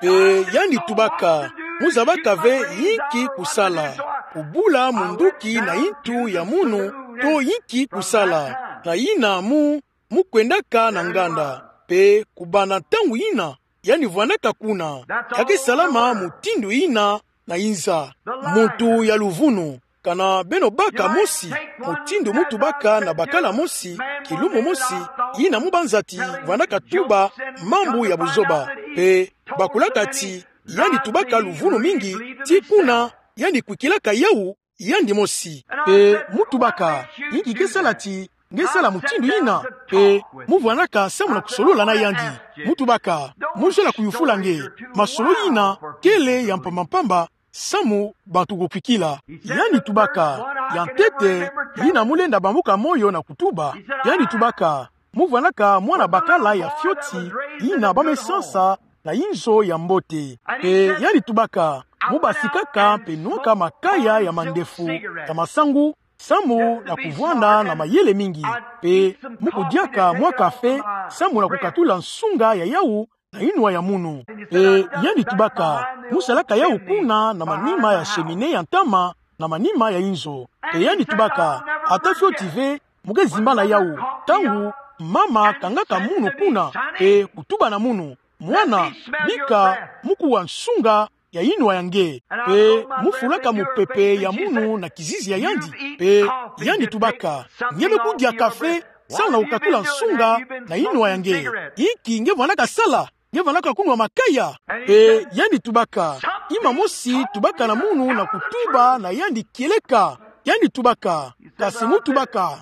Mpe yandi tubaka: Mu zabaka ve yinki kusala, kubula munduki na yintu ya munu, to yinki kusala. Na yina mu, mu kwendaka na nganda. Mpe kubanda ntangu yina, yandi vwandaka kuna. Ya ke salama mutindu yina na inza. Muntu ya luvunu. Kana beno baka mosi, mutindu mu tubaka na bakala mosi, kilumbu mosi, yina mu banza ti vwandaka tuba mambu ya buzoba. Mpe bakulaka ti yandi tubaka luvunu mingi, tii kuna yandi kwikilaka yawu yandi mosi. Mpe mu tubaka: Yinki ke sala ti nge sala mutindu yina, pe mu vwanaka samu na kusolola na yandi. Mu tubaka, mu zola kuyufula nge, masolo yina kele ya mpamba mpamba, samu bantu kukwikila. Yandi tubaka, ya ntete, yina mu lenda bambuka moyo na kutuba. Yandi tubaka, mu vwanaka mwana bakala ya fioti, yina ba me sansa na inzo ya mbote. Pe yandi tubaka, mu basikaka pe nwaka makaya ya mandefu, ya masangu, samu na kuvwanda na mayele mingi. Pe mu kudiaka mwa kafe, samu na kukatula nsunga ya yawu na inwa ya munu. Pe yandi tubaka, mu salaka yawu kuna na manima ya cheminée ya ntama, na manima ya inzo. Pe yandi tubaka, ata fioti ve, mu ke zimbana yawu. Ntangu mama kangaka munu kuna, pe kutuba na munu, mwana, bika mu kuwa nsunga ya inwa ya nge. Pe mu fulaka mupepe ya munu na kizizi ya yandi. Pe yandi tubaka, nge me kudia kafe, samu na kukatula nsunga na inwa ya nge. Inki nge vwanaka sala? Nge vwanaka kunwa makaya? Pe yandi tubaka, ima mosi tubaka na munu na kutuba na yandi kieleka. Yandi tubaka, kasi mu tubaka,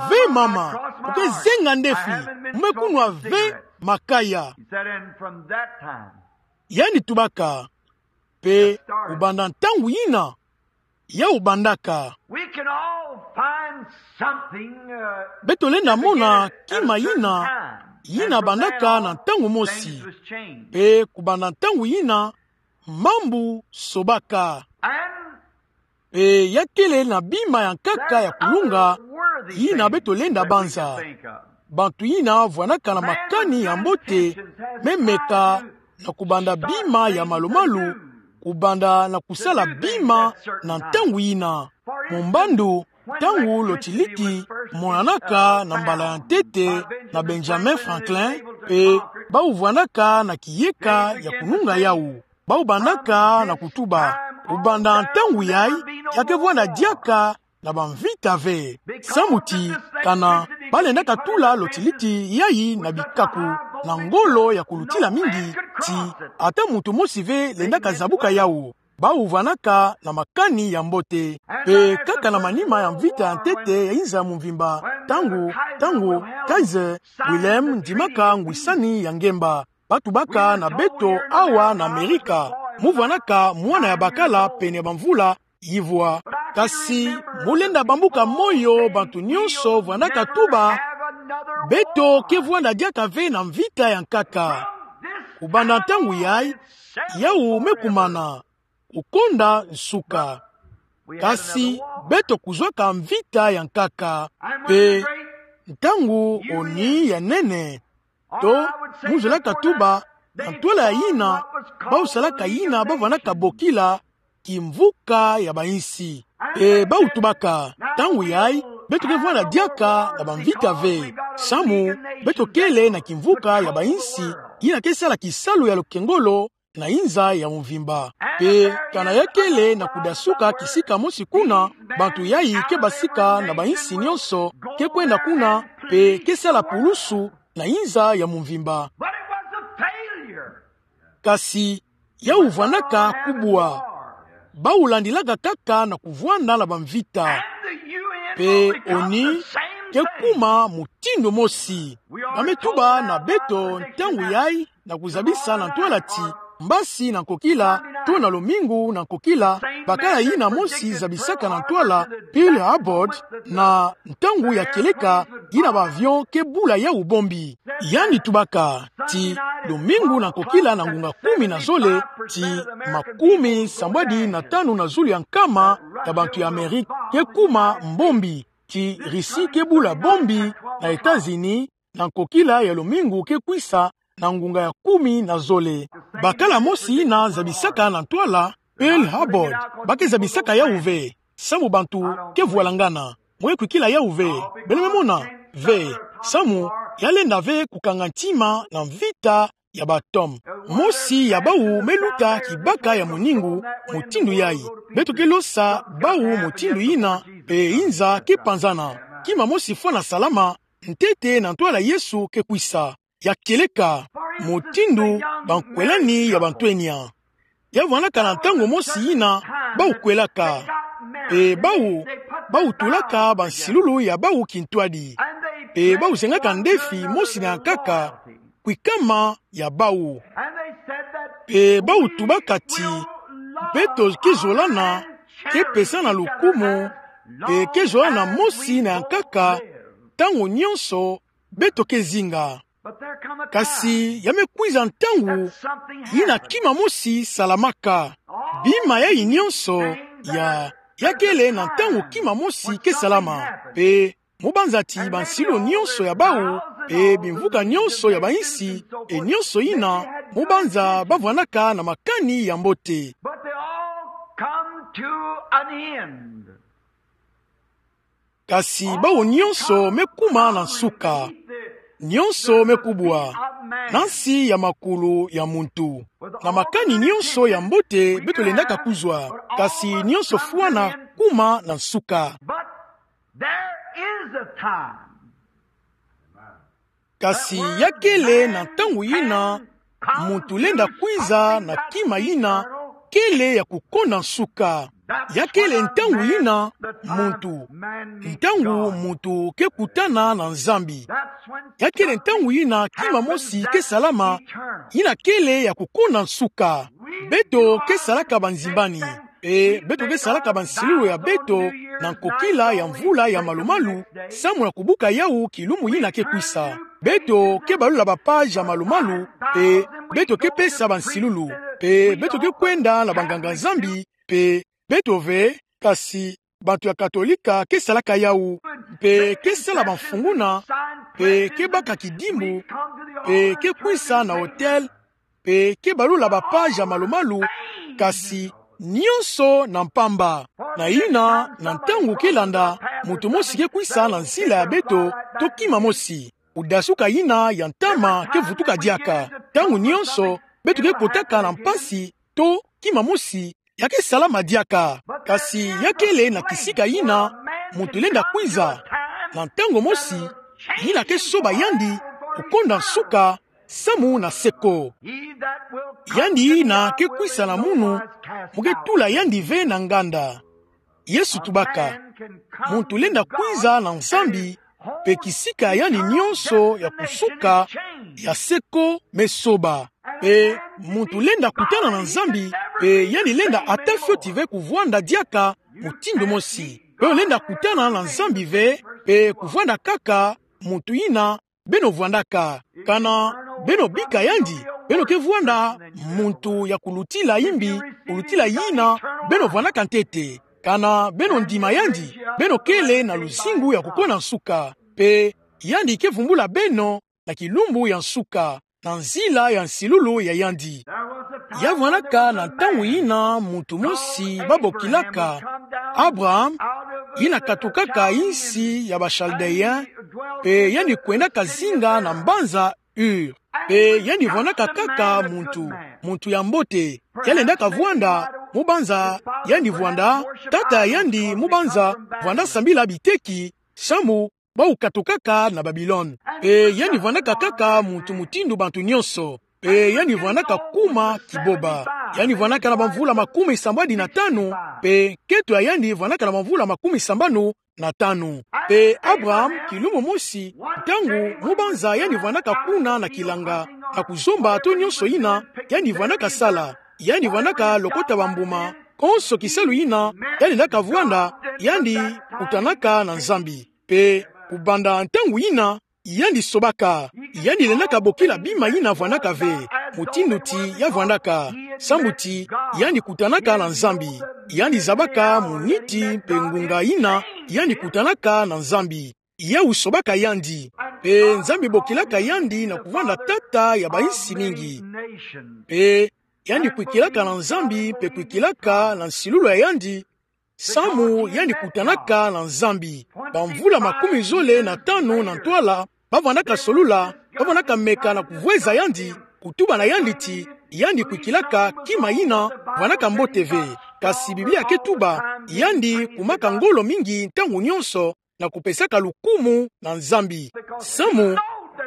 ve mama, mu ke zenga ndefi, mu me kunwa ve makaya. Yandi tubaka, pe kubanda ntangu yina, yawu bandaka. Beto lenda mona kima yina, yina bandaka na ntangu mosi. Pe kubanda ntangu yina, mambu sobaka. Pe ya kele na bima ya nkaka ya kulunga, yina beto lenda banza. Bantu yina vwanaka na makani ya mbote, me meka na kubanda bima ya malu-malu, kubanda na kusala bima na ntangu yina. Mu mbandu, ntangu lotiliti monanaka na mbala ya ntete na Benjamin Franklin, pe bawu vwanaka na kiyeka ya kulunga yawu. Bawu bandaka na kutuba, kubanda ntangu yayi, ya ke vwanda diaka na bamvita ve. Samu ti, kana ba lendaka tula lotiliti yayi na bikaku, na ngolo ya kulutila mingi, ti ata muntu mosi ve lendaka zabuka yawu. Bawu vwanaka na makani ya mbote. Pe kaka na manima ya mvita ya ntete ya inza ya mvimba, ntangu, ntangu Kaiser Wilhelm ndimaka ngwisani ya ngemba, ba tubaka na beto awa na Amerika, mu vwanaka mwana ya bakala pene ya bamvula yivwa. Kasi mu lenda bambuka moyo, bantu nyonso vwanaka tuba, beto ke vwanda diaka ve na mvita ya nkaka. Kubanda ntangu yayi, yawu me kumana, kukonda nsuka. Kasi beto kuzwaka mvita ya nkaka. Pe ntangu ONU ya nene, to, mu zolaka tuba, na ntwala ya yina, bawu salaka yina ba vwanaka bokila kimvuka ya bayinsi. Pe bawu tubaka, ntangu yayi, beto ke vwanda diaka na bamvita ve. Samu, beto kele na kimvuka ya bayinsi, yina ke sala kisalu ya lukengolo na inza ya mvimba. Pe kana ya kele na kudasuka kisika mosi kuna, bantu yayi ke basika na bayinsi nyonso, ke kwenda kuna, pe ke sala pulusu na inza ya mvimba. Kasi yawu vwanaka kubwa. Bawu landilaka kaka na kuvwanda na bamvita. Pe ONU ke kuma mutindu mosi. Ba me tuba na beto ntangu yayi na kuzabisa na ntwala ti, mbasi na nkokila, to na lumingu na nkokila, bakala yina mosi zabisaka na ntwala, Pearl Harbor, na ntangu ya kieleka, yina ba avion ke bula yawu bombi. Yandi tubaka, ti lumingu na nkokila na ngunga kumi na zole, ti makumi sambwadi na tanu na zulu ya nkama ya bantu ya Amerika ke kuma mbombi, ti Russie ke bula bombi na États-Unis, na nkokila ya lumingu ke kwisa na ngunga ya kumi na zole. Bakala mosi yina zabisaka na ntwala, Pearl Harbor, ba ke zabisaka yawu ve. Samu bantu ke vwalangana. Mwe kwikila yawu ve. Beno me mona ve. Samu, ya lenda ve kukanga ntima na mvita ya ba atome. Mosi ya bawu me luta kibaka ya moningu, mutindu yayi. Beto ke losa bawu mutindu yina, pe inza ke panzana. Kima mosi fwana salama, ntete na ntwala Yesu ke kwisa. Ya kieleka, mutindu bankwelani ya bantwenia. Ya vwanaka na ntangu mosi yina, bawu kwelaka. Pe bawu, bawu tulaka bansilulu ya bawu kintwadi. Pe bau zengaka ndefi mosi na nkaka, kwikama ya bau. Pe bau tubaka ti, beto ke zolana, ke pesana lukumu, pe ke zolana mosi na nkaka, ntangu nyonso, beto ke zinga. Kasi ya me kwiza ntangu, yina kima mosi salamaka. Bima yayi nyonso, ya, ya kele na ntangu kima mosi ke salama. Pe, mu banza ti bansilu nyonso ya bau, pe bimvuka nyonso ya bainsi, e nyonso yina, mu banza bavwanaka na makani ya mbote. But they all come to an end. Kasi bau nyonso me kuma na nsuka. Nyonso me kubwa na nsi ya makulu ya muntu. Na makani nyonso ya mbote beto lendaka kuzwa. Kasi nyonso fwana kuma na nsuka. But there is a time. Kasi ya kele na ntangu yina, muntu lenda kwiza na kima yina kele ya kukonda nsuka. Ya kele ntangu yina, muntu, ntangu muntu ke kutana na Nzambi. Ya kele ntangu yina kima mosi ke salama, yina kele ya kukonda nsuka. Beto ke salaka banzimbani. Pe beto ke salaka bansilulu ya beto na nkokila ya mvula ya malumalu, samu na kubuka yawu kilumbu yina ke kwisa. Beto ke balula ba page ya malumalu, pe beto ke pesa bansilulu, pe beto ke kwenda na banganga-Nzambi, pe beto ve, kasi bantu ya Katolika ke salaka yawu, pe ke sala bamfunguna, pe ke baka kidimbu, pe ke kwisa na hotel, pe ke balula ba page ya malumalu, kasi nyonso na mpamba. Na yina, na ntangu ke landa, muntu mosi ke kwisa na nzila ya beto, to kima mosi. Kudasuka yina ya ntama ke vutuka diaka. Ntangu nyonso, beto ke kotaka na mpasi, to kima mosi, ya ke salama diaka. Kasi ya kele na kisika yina, muntu lenda kwiza na ntangu mosi, yina ke soba yandi kukonda nsuka, samu na seko. Yandi yina ke kwisa na munu, mu ke tula yandi ve na nganda. Yesu tubaka, muntu lenda kwiza na Nzambi, pe kisika ya yandi nyonso ya kusuka, ya seko me soba. Pe muntu lenda kutana na Nzambi, pe yandi lenda ata fioti ve kuvwanda diaka mutindu mosi. Pe lenda kutana na Nzambi ve, pe kuvwanda kaka muntu yina beno vwandaka. Kana beno bika yandi, beno ke vwanda muntu ya kulutila yimbi, kulutila yina beno vwandaka ntete. Kana beno ndima yandi, beno kele na luzingu ya kukonda nsuka. Pe yandi ke vumbula beno na kilumbu ya nsuka, na nzila ya nsilulu ya yandi. Ya vwandaka na ntangu yina muntu mosi ba bokilaka Abraham, yina katukaka insi ya ba Chaldéens, pe yandi kwendaka zinga na mbanza Ur. Pe yandi vwandaka kaka muntu, muntu ya mbote. Ya lendaka vwanda, mu banza yandi vwanda, tata yandi mu banza vwanda sambila biteki, samu bau katukaka na Babilone. Pe yandi vwandaka kaka muntu mutindu bantu nyonso. Pe yandi vwandaka kuma kiboba. Yandi vwandaka na bamvula makumi sambwadi na tanu, pe nkento ya yandi vwandaka na bamvula makumi sambanu na tanu. Pe Abraham, kilumbu mosi, ntangu mu banza yandi vwandaka kuna na kilanga, na kuzomba to nyonso yina yandi vwandaka sala, yandi vwandaka lokota bambuma, konso kisalu yina yandi lendaka vwanda, yandi kutanaka na Nzambi. Pe kubanda ntangu yina, yandi sobaka, yandi lendaka bokila bima yina vwandaka ve, mutindu ti ya vwandaka, samu ti yandi kutanaka na Nzambi, yandi zabaka muniti pe ngunga yina yandi kutanaka na Nzambi. Yawu sobaka yandi, pe Nzambi bokilaka yandi na kuvwanda tata ya bainsi mingi. Pe yandi kwikilaka na Nzambi, pe kwikilaka na nsilulu ya yandi, samu yandi kutanaka na Nzambi. Bamvula makumi zole na tanu na ntwala, ba vwandaka solula, ba vwandaka meka na kuvweza yandi, kutuba na yandi ti, yandi kwikilaka kima yina vwandaka mbote ve. Kasi Biblia ke tuba, yandi kumaka ngolo mingi ntangu nyonso, na kupesaka lukumu na Nzambi. Samu,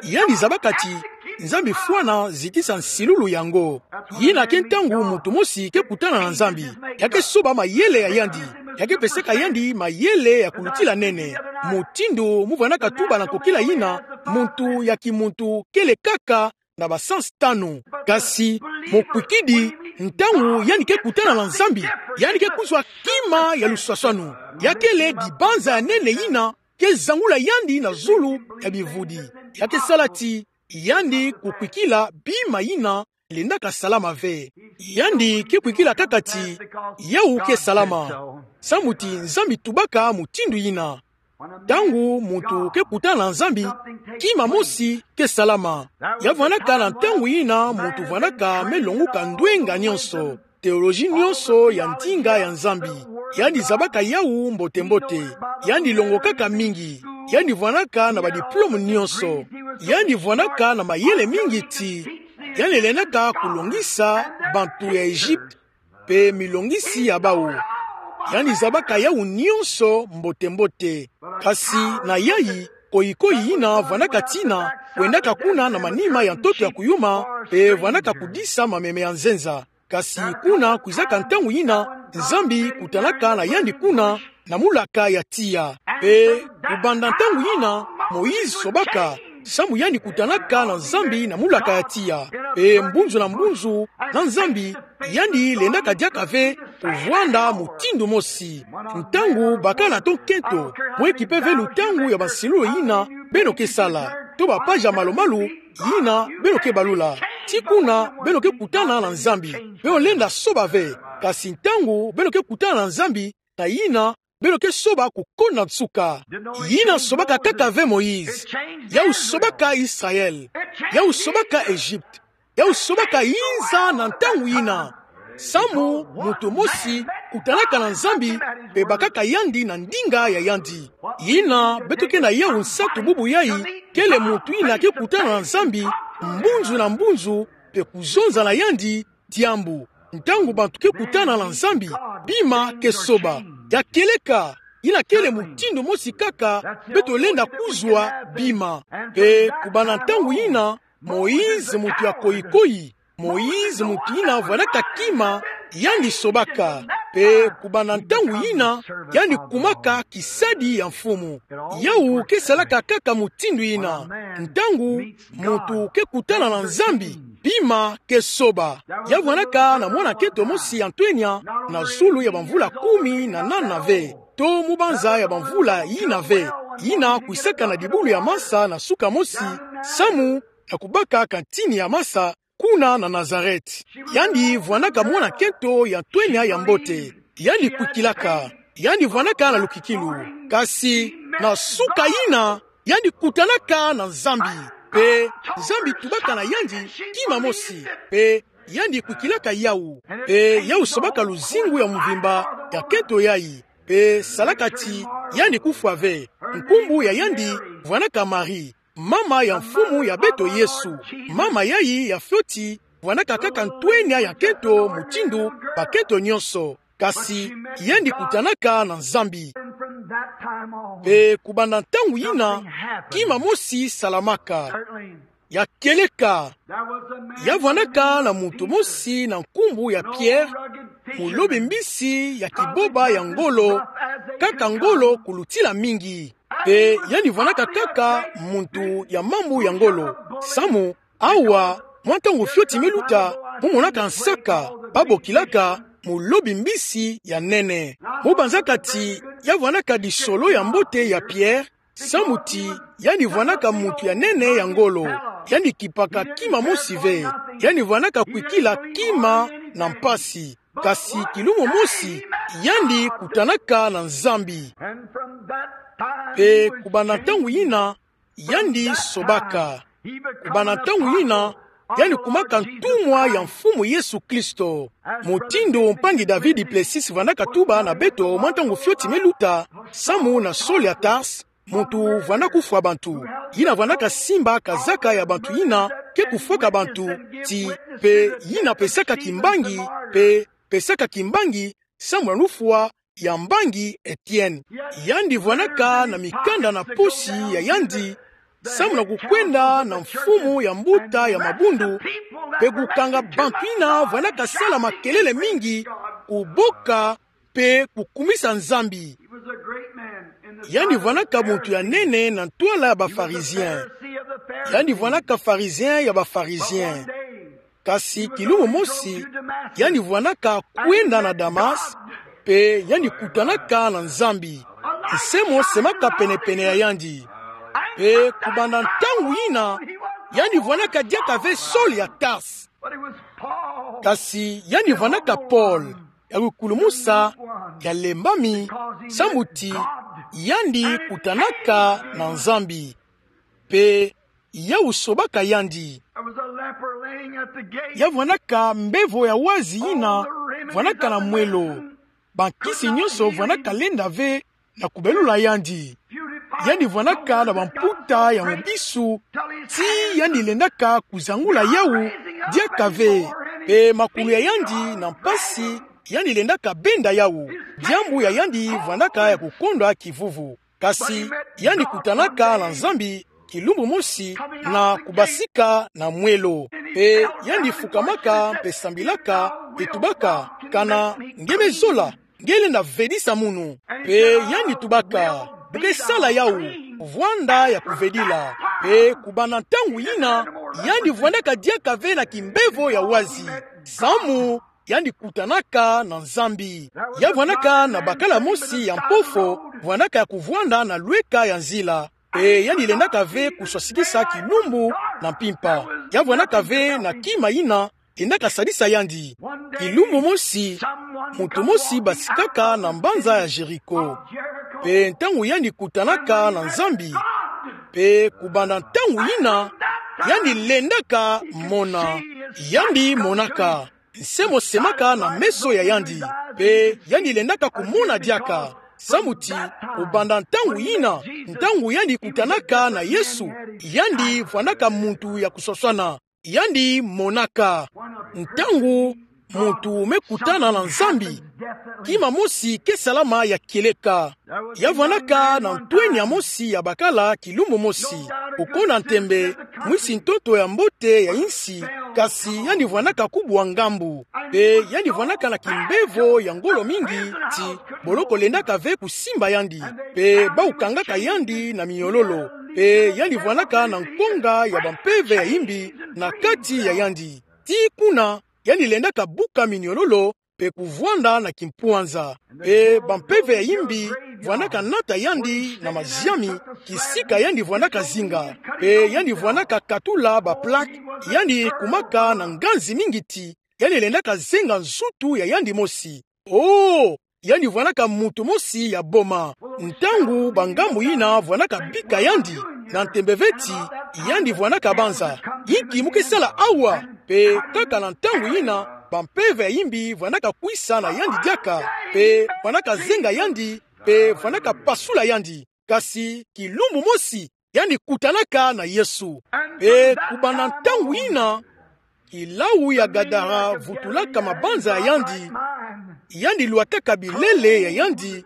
yandi zabaka ti, Nzambi fwana zitisa nsilulu yango. Yina ke ntangu muntu mosi ke kutana na Nzambi, ya ke soba mayele ya yandi. ya ke pesaka yandi mayele ya kulutila nene. Mutindu mu vwanaka tuba na nkokila yina, muntu ya kimuntu kele kaka na ba sens tanu. Kasi mo kwikidi, ntangu yandi ke kutana na Nzambi, yandi ke kuzwa kima ya luswaswanu. Ya kele dibanza ya nene yina ke zangula yandi na zulu ya bivudi. Ya ke sala ti yandi kukwikila bima yina lendaka salama ve. Yandi ke kwikila kaka ti yau ke salama, samu ti Nzambi tubaka mutindu yina. Ntangu muntu ke kutana na Nzambi, kima mosi ke salama. Ya vwanaka na ntangu yina muntu vwanaka me longuka ndwenga nyonso, théologie nyonso ya ndinga ya Nzambi. Yandi zabaka yau mbote-mbote. Yandi longokaka mingi. Yandi vwanaka na ba diplôme nyonso. Yandi vwanaka na mayele mingi ti yandi lendaka kulongisa bantu ya Egypte mpe milongisi ya bau. Yandi zabaka yau nyonso mbote-mbote. Kasi na yayi, koyi-koyi yina vwanaka tina, kwendaka kuna na manima ya ntoto ya kuyuma, mpe vwanaka kudisa mameme ya nzenza. Kasi kuna kwizaka ntangu yina Nzambi kutanaka na yandi kuna na mulaka ya tiya. Mpe kubanda ntangu yina, Moïse sobaka, samu yandi kutanaka na Nzambi na mulaka ya tiya. Mpe mbunzu na mbunzu na Nzambi, yandi lendaka diaka ve kuvwanda mutindu mosi. Ntangu bakana to nkento, mwe kipe ve lutangu ya bansilulu yina beno ke sala, to ba page ya malu-malu yina beno ke balula, ti kuna beno ke kutana na Nzambi, beno lenda soba ve. Kasi ntangu beno ke kutana na Nzambi, na yina beno ke soba kukonda nsuka. Yina sobaka kaka ve Moïse. Yau sobaka Israël. Yau sobaka Egypte. Yau sobaka yinza na ntangu yina. Samu muntu mosi kutanaka na Nzambi, mpe bakaka yandi na ndinga ya yandi. Yina beto ke na yau nsatu bubu yayi, kele muntu yina ke kutana na Nzambi mbunzu na mbunzu, mpe kuzonza na yandi diambu. Ntangu bantu ke kutana na Nzambi, bima ke soba. Ya kieleka, yina kele mutindu mosi kaka beto lenda kuzwa bima. Mpe kubanda ntangu yina, Moïse muntu ya koyi-koyi, Moïse muntu yina vwanaka kima, yandi sobaka. Mpe kubanda ntangu yina, yandi kumaka kisadi ya Mfumu. Yau ke salaka kaka mutindu yina. Ntangu muntu ke kutana na Nzambi, bima ke soba. Ya vwanaka na mwana nkento mosi ya ntwenya, na zulu ya bamvula kumi na nana ve, to mu banza ya bamvula yina ve, yina kwisaka na dibulu ya masa na suka mosi, samu na kubaka kantini ya masa, kuna na Nazareth. Yandi vwanaka mwana nkento ya ntwenya ya mbote. Yandi kwikilaka. Yandi vwanaka na lukikilu. Kasi na suka yina, yandi kutanaka na Nzambi. Mpe Nzambi tubaka na yandi kima mosi. Mpe yandi kwikilaka yau. Mpe yau sobaka luzingu ya mvimba ya nkento yayi. Mpe salaka ti yandi kufwa ve. Nkumbu ya yandi vwanaka Marie, mama ya Mfumu ya beto Yesu. Mama yayi ya fioti vwanaka kaka ntwenya ya nkento mutindu bankento nyonso. Kasi yandi kutanaka na Nzambi. Mpe kubanda ntangu yina, kima mosi salamaka. Ya kieleka, ya vwanaka na muntu mosi na nkumbu ya Pierre, mulobi mbisi ya kiboba ya ngolo, kaka ngolo kulutila mingi. Mpe yandi vwanaka kaka muntu ya mambu ya ngolo. Samu, awa, mwa ntangu fioti me luta, mu monaka nsaka, ba bokilaka mulobi mbisi ya nene. Mu banzaka ti ya vwanaka disolo ya mbote ya Pierre, samu ti yandi vwanaka muntu ya nene ya ngolo. Yandi kipaka kima mosi ve. Yandi vwanaka kwikila kima na mpasi. Kasi kilumo mosi, yandi kutanaka na Nzambi. Mpe kubanda ntangu yina, yandi sobaka. Kubanda ntangu yina, yandi kumaka ntumwa ya Mfumu Yesu Kristo. Mutindu mpangi David Plessis vwanaka tuba na beto mwa ntangu fioti me luta, samu na Saul ya Tarse, muntu vwanda kufwa bantu. Yina vwandaka simba kazaka ya bantu yina ke kufwaka bantu, ti pe yina pesaka kimbangi, pe pesaka kimbangi samu na lufwa ya mbangi Etienne. Yandi vwandaka na mikanda na posi ya yandi, samu na kukwenda na mfumu ya mbuta ya mabundu, pe kukanga bantu yina vwandaka sala makelele mingi, kuboka mpe kukumisa Nzambi. Yandi vwanaka muntu ya nene na ntwala ya ba Pharisiens. Yandi vwanaka Pharisien ya ba Pharisiens. Kasi kilumbu mosi, yandi vwanaka kwenda na Damas, mpe yandi kutanaka na Nzambi. Nse mo semaka pene-pene ya yandi. Mpe kubanda ntangu yina, yandi vwanaka diaka ve Saul ya Tarse. Kasi yandi vwanaka Paul, ya kukulumusa, ya lembami, sambu ti yandi kutanaka na Nzambi. Mpe yau sobaka yandi. Ya vwanaka mbevo ya wazi yina vwanaka na mwelo. Bankisi nyonso vwanaka lenda ve na kubelula yandi. Yandi vwanaka na bamputa ya mubisu, ti yandi lendaka kuzangula yau diaka ve. Mpe makulu ya yandi na mpasi, yandi lendaka benda yau. Diambu ya yandi vwanaka ya kukondwa kivuvu. Kasi yandi kutanaka na Nzambi kilumbu mosi na kubasika na mwelo. Mpe yandi fukamaka mpe sambilaka, mpe tubaka: Kana nge me zola, nge lenda vedisa munu. Mpe yandi tubaka: Bu ke sala yau, vwanda ya kuvedila. Mpe kubanda ntangu yina, yandi vwandaka diaka ve na kimbevo ya wazi, samu yandi kutanaka na Nzambi. Ya vwanaka na bakala mosi ya mpofo, vwanaka ya kuvwanda na lweka ya nzila. Mpe yandi lendaka ve kuswasikisa kilumbu na mpimpa. Ya vwanaka ve na kima yina lendaka sadisa yandi. Kilumbu mosi, muntu mosi basikaka na mbanza ya Jéricho. Mpe ntangu yandi kutanaka na Nzambi, mpe kubanda ntangu yina, yandi lendaka mona. Yandi monaka. Nse mo semaka na meso ya yandi. Mpe yandi lendaka kumona diaka. Samu ti, kubanda ntangu yina, ntangu yandi kutanaka na Yesu, yandi vwandaka muntu ya kuswaswana. Yandi monaka. Ntangu muntu me kutana na Nzambi, kima mosi ke salama ya kieleka. Ya vwanaka na ntwenia mosi ya bakala kilumbu mosi. Okona ntembe, mwisi ntoto ya mbote ya insi, kasi yandi vwanaka kubwa ngambu. Mpe yandi vwanaka na kimbevo ya ngolo mingi, ti boloko lendaka ve kusimba yandi. Mpe bau kangaka yandi na minyololo. Mpe yandi vwanaka na nkonga ya bampeve ya imbi na kati ya yandi. Tii kuna, yandi lendaka buka minyololo, mpe kuvwanda na kimpwanza. Mpe bampeve ya imbi vwandaka nata yandi na maziami, kisika yandi vwandaka zinga. Mpe yandi vwandaka katula ba plaque, yandi kumaka na nganzi mingi ti yandi lendaka zenga nzutu ya yandi mosi. Oh, yandi vwandaka muntu mosi ya boma. Ntangu bangambu yina vwandaka bika yandi, na ntembe ve ti yandi vwandaka banza: Inki mu ke sala awa? Mpe kaka na ntangu yina, bampeve ya imbi vwandaka kwisa na yandi diaka, mpe vwandaka zenga yandi, mpe vwandaka pasula yandi. Kasi kilumbu mosi, yandi kutanaka na Yesu. Mpe kubanda ntangu yina, kilau ya Gadara vutulaka mabanza ya yandi, yandi lwataka bilele ya yandi,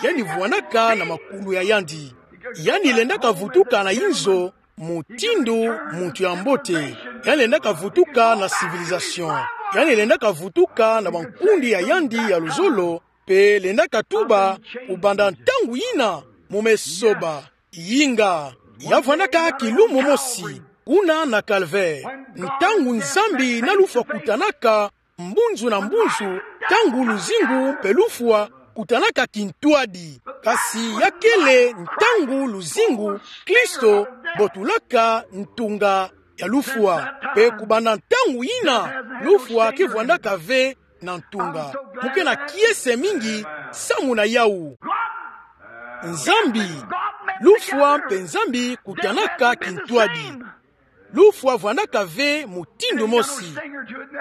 yandi vwandaka na makulu ya yandi. Yandi lendaka vutuka na inzo mutindu muntu ya mbote. Yandi lendaka vutuka na civilisation. Yandi lendaka vutuka na bankundi ya yandi ya luzolo, mpe lendaka tuba: Kubanda ntangu yina, mu me soba. Yinga, ya vwandaka kilumbu mosi, kuna na Calvaire. Ntangu Nzambi na lufwa kutanaka, mbunzu na mbunzu, ntangu luzingu mpe lufwa kutanaka kintwadi. Kasi ya kele ntangu luzingu, Kristo botulaka ntunga ya lufwa. Mpe kubanda ntangu yina, lufwa ke vwandaka ve na ntunga. Mu ke na kiese mingi samu na yau. Nzambi, lufwa mpe Nzambi kutanaka kintwadi. Lufwa vwandaka ve mutindu mosi.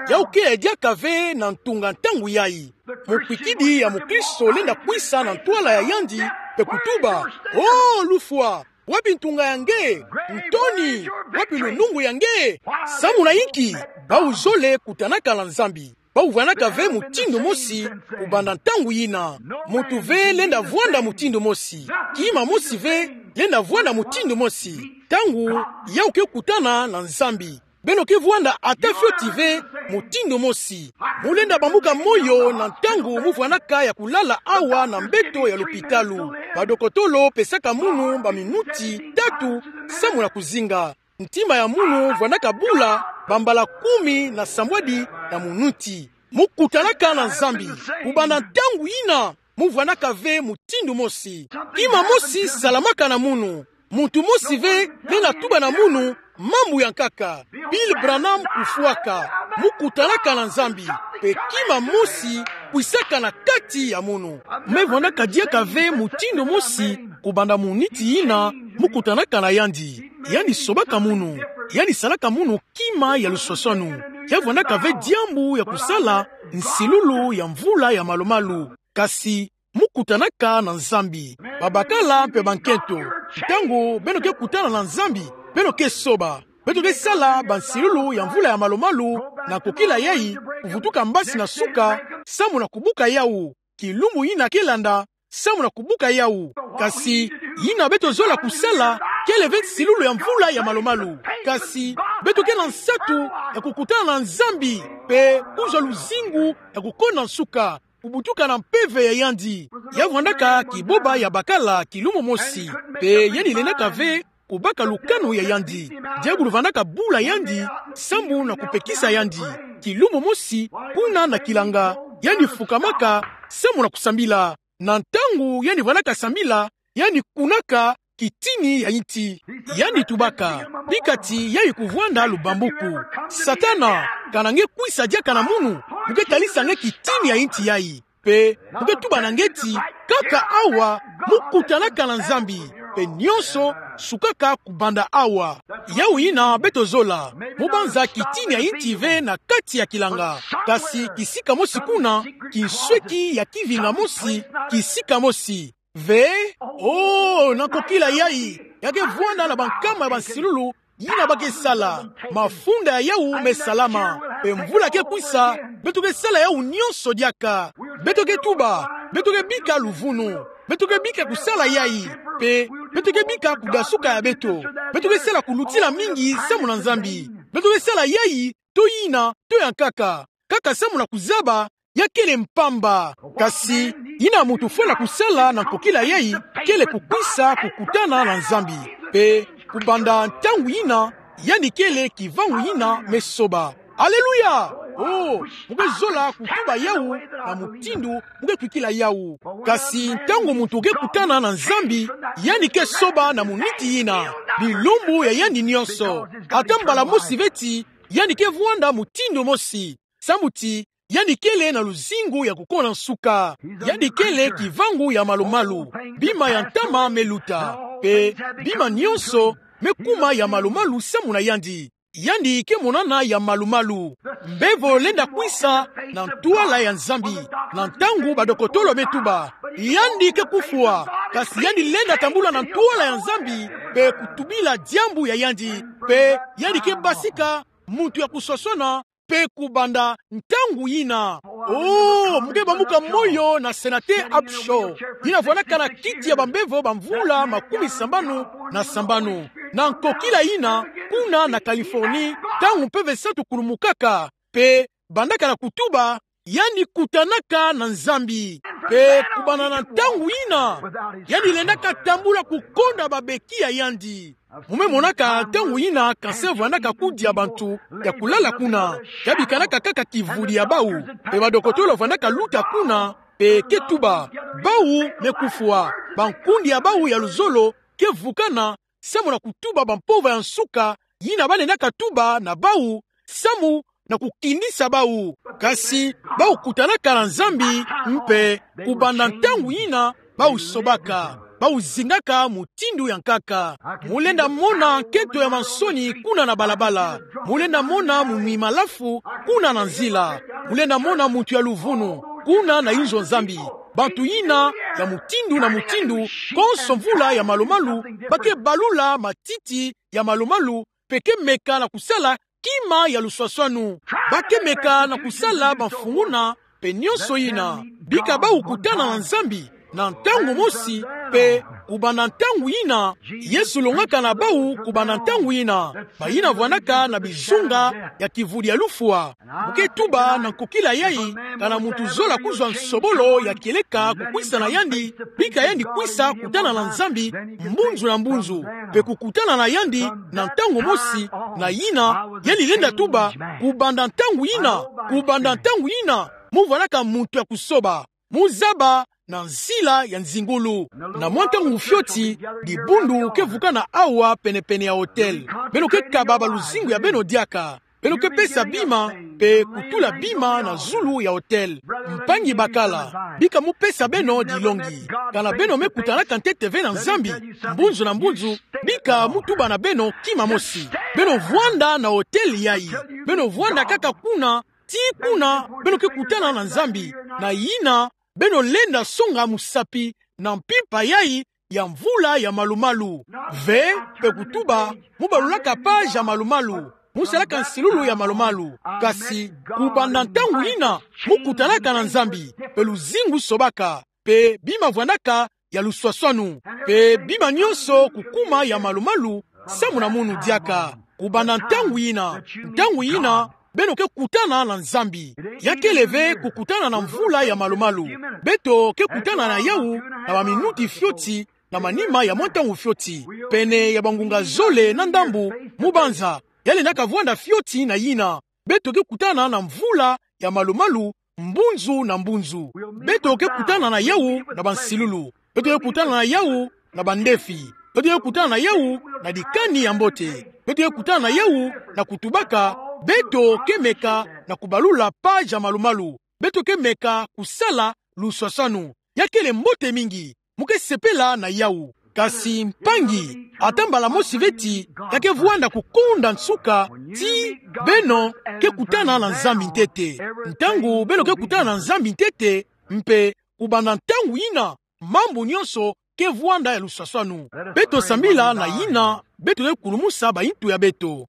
Yau ke diaka ve na ntunga ntangu yayi. Mukwikidi ya mukristo lenda kwisa na ntwala ya yandi mpe kutuba: Oh, lufwa, wapi ntunga ya nge? Ntoni, wapi lunungu ya nge? Samu na inki? Bau zole kutanaka na Nzambi. Bau vwandaka ve mutindu mosi kubanda ntangu yina. Muntu ve lenda vwanda mutindu mosi. Kima mosi ve lenda vwanda mutindu mosi ntangu yau ke kutana na Nzambi. Beno ke vwanda ata fioti ve mutindu mosi. Mu lenda bambuka moyo na ntangu mu vwanaka ya kulala awa na mbeto ya lopitalo. Badokotolo pesaka munu baminuti tatu samu na kuzinga. Ntima ya munu vwanaka bula bambala kumi na sambwadi na minuti. Mu kutanaka na Nzambi, kubanda ntangu yina, mu vwanaka ve mutindu mosi. Kima mosi salamaka na munu. Muntu mosi ve lenda tuba na munu mambu ya nkaka. Bill Branham kufwaka. Mu kutanaka na Nzambi, mpe kima mosi kwisaka na kati ya munu. Me vwanaka diaka ve mutindu mosi kubanda muniti yina mu kutanaka na yandi. Yandi sobaka munu. Yandi salaka munu kima ya luswaswanu. Ya vwanaka ve diambu ya kusala nsilulu ya mvula ya malumalu. Kasi mu kutanaka na Nzambi. Babakala mpe bankento, ntangu beno ke kutana na Nzambi, beno ke soba. Beto ke sala bansilulu ya mvula ya malumalu na kokila yayi, kuvutuka mbasi na suka, samu na kubuka yawu. Kilumbu yina ke landa, samu na kubuka yawu. Kasi yina beto zola kusala, kele ve nsilulu ya mvula ya malumalu. Kasi beto ke na nsatu ya kukutana na Nzambi, mpe kuzwa luzingu ya kukonda nsuka, kubutuka na mpeve ya yandi. Ya vwandaka kiboba ya bakala kilumbu mosi, mpe yandi lendaka ve kubaka lukanu ya yandi. Diabulu vandaka bula yandi, samu na kupekisa yandi. Kilumbu mosi, kuna na kilanga, yandi fukamaka, samu na kusambila. Na ntangu yandi vandaka sambila, yandi kunaka kitini ya inti. Yandi tubaka: Bika ti yayi kuvwanda lubambuku. Satana, kana nge kwisa diaka na munu, mu ke talisa nge kitini ya inti yayi. Mpe mu ke tuba na nge ti, kaka awa, mu kutanaka na Nzambi, mpe nionso sukaka kubanda awa. Yawu yina beto zola, mu banza kitini ya inti ve na kati ya kilanga. Kasi kisika mosi kuna, kinsweki ya kivinga mosi, kisika mosi. Ve, oh, na kokila yayi, ya ke vwanda na bankama ya bansilulu yina ba ke sala. Mafunda ya yawu me salama. Mpe mvula ke kwisa, beto ke sala yawu nionso diaka. Beto ke tuba, beto ke bika luvunu. Beto ke bika kusala yayi. Mpe beto ke bika kudasuka ya beto. Beto ke sala kulutila mingi samu na Nzambi. Beto ke sala yayi, to yina, to ya nkaka. Kaka samu na kuzaba, ya kele mpamba. Kasi yina muntu fwala kusala na kokila yayi, kele kukwisa kukutana na Nzambi. Mpe kubanda ntangu yina, yandi kele kivangu yina me soba. Aleluya! Oh, mu ke zola kutuba yawu na mutindu mu ke kwikila yawu. Kasi ntangu muntu ke kutana na Nzambi, yandi ke soba na muniti yina, bilumbu ya yandi nionso. Ata mbala mosi ve ti yandi ke vwanda mutindu mosi. Samu ti yandi kele na luzingu ya kukonda nsuka. Yandi kele kivangu ya malumalu. Bima ya ntama me luta. Mpe bima nionso me kuma ya malumalu samu na yandi. Yandi ke monana ya malumalu. Mbevo lenda kwisa na ntwala ya Nzambi. Na ntangu badokotolo me tuba, yandi ke kufwa. Kasi yandi lenda tambula na ntwala ya Nzambi, mpe kutubila diambu ya yandi. Mpe yandi ke basika muntu ya kuswaswana, mpe kubanda ntangu yina. Oh, mu ke bambuka moyo na Senateur Upshaw, yina vwandaka na kiti ya bambevo bamvula makumi sambanu na sambanu. Na nkokila yina, kuna na Californie, ntangu mpeve santu kulumukaka, mpe bandaka na kutuba, yandi kutanaka na Nzambi. Mpe kubanda na ntangu yina, yandi lendaka tambula kukonda babeki ya yandi. Mu me monaka ntangu yina cancer vwandaka kudia bantu ya kulala kuna. Ya bikanaka kaka kivudi ya bawu. Mpe badokotolo vwandaka luta kuna, mpe ke tuba, bawu me kufwa. Bankundi ya bawu ya luzolo ke vukana, samu na kutuba bampova ya nsuka yina ba lendaka tuba na bawu, samu na kukindisa bawu. Kasi bawu kutanaka na Nzambi, mpe kubanda ntangu yina, bawu sobaka. Bawu zingaka mutindu ya nkaka. Mu lenda mona nkento ya mansoni kuna na balabala. Mu lenda mona munwi malafu kuna na nzila. Mu lenda mona muntu ya luvunu kuna na inzo Nzambi. Bantu yina ya mutindu na mutindu, konso mvula ya malumalu, ba ke balula matiti ya malumalu, mpe ke meka na kusala kima ya luswaswanu. Ba ke meka na kusala bamfunguna, mpe nionso yina. Bika bawu kutana na Nzambi na ntangu mosi, mpe Kubanda ntangu yina, Yesu longaka na bau kubanda ntangu yina, bayina vwandaka na bizunga ya kivudi ya lufwa. Mu ke tuba na nkokila yayi, kana muntu zola kuzwa nsobolo ya kieleka kukwisa na yandi, bika yandi kwisa kutana na Nzambi mbunzu na mbunzu, mpe kukutana na yandi na ntangu mosi, na yina yandi lenda tuba: Kubanda ntangu yina, kubanda ntangu yina, mu vwandaka muntu ya kusoba, mu zaba na nzila ya nzingulu. Na mwa ntangu fioti, dibundu ke vukana awa pene-pene ya hotel. Beno ke kaba baluzingu ya beno diaka. Beno ke pesa bima, mpe kutula bima na zulu ya hotel. Mpangi bakala, bika mu pesa beno dilongi. Kana beno me kutanaka ntete ve na Nzambi mbunzu na mbunzu, bika mu tuba na beno kima mosi: Beno vwanda na hotel yayi. Beno vwanda kaka kuna, tii kuna beno ke kutana na Nzambi, na yina beno lenda songa musapi na mpimpa yayi ya mvula ya malu-malu. Ve, mpe kutuba mu balulaka page ya malu-malu, mu salaka nsilulu ya malu-malu. Kasi kubanda ntangu yina, mu kutanaka na Nzambi, mpe luzingu sobaka, mpe bima vwandaka ya luswaswanu, mpe bima nyonso kukuma ya malu-malu samu na munu diaka. Kubanda ntangu yina, ntangu yina, beno ke kutana na Nzambi. Ya kele ve kukutana na mvula ya malu-malu. Beto ke kutana na yawu na baminuti fioti, na manima ya mwa ntangu fioti. Pene ya bangunga zole na ndambu, mu banza, ya lendaka vwanda fioti na yina. Beto ke kutana na mvula ya malu-malu mbunzu na mbunzu. Beto ke kutana na yawu na bansilulu. Beto ke kutana na yawu na bandefi. Beto ke kutana na yawu na dikani ya mbote. Beto ke kutana na yawu na kutubaka: Beto ke meka na kubalula page ya malu-malu. Beto ke meka kusala luswaswanu. Ya kele mbote mingi. Mu ke sepela na yawu. Kasi mpangi, ata mbala mosi ve ti ya ke vwanda kukonda nsuka ti beno ke kutana na Nzambi ntete. Ntangu beno ke kutana na Nzambi ntete, mpe kubanda ntangu yina, mambu nyonso ke vwanda ya luswaswanu. Beto sambila na yina beto ke kulumusa bayintu ya beto.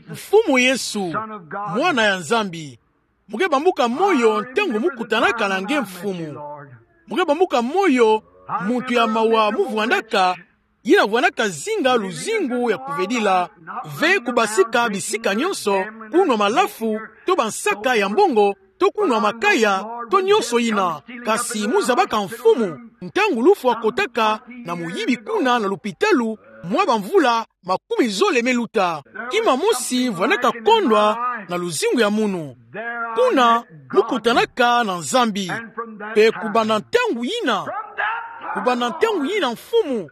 Mfumu Yesu, Mwana ya Nzambi, mu ke bambuka moyo ntangu mu kutanaka na nge, Mfumu. Mu ke bambuka moyo, muntu ya mawa mu vwandaka, yina vwandaka zinga luzingu ya kuvedila, ve kubasika bisika nyonso, kunwa malafu, to bansaka ya mbongo, to kunwa makaya, to nyonso yina. Kasi mu zabaka, Mfumu, ntangu lufwa kotaka na muyibi kuna na lupitalu, mwa bamvula makumi zole me luta. Kima mosi vwandaka kondwa na luzingu ya munu. Kuna mu kutanaka na Nzambi. Mpe kubanda ntangu yina, kubanda ntangu yina, Mfumu,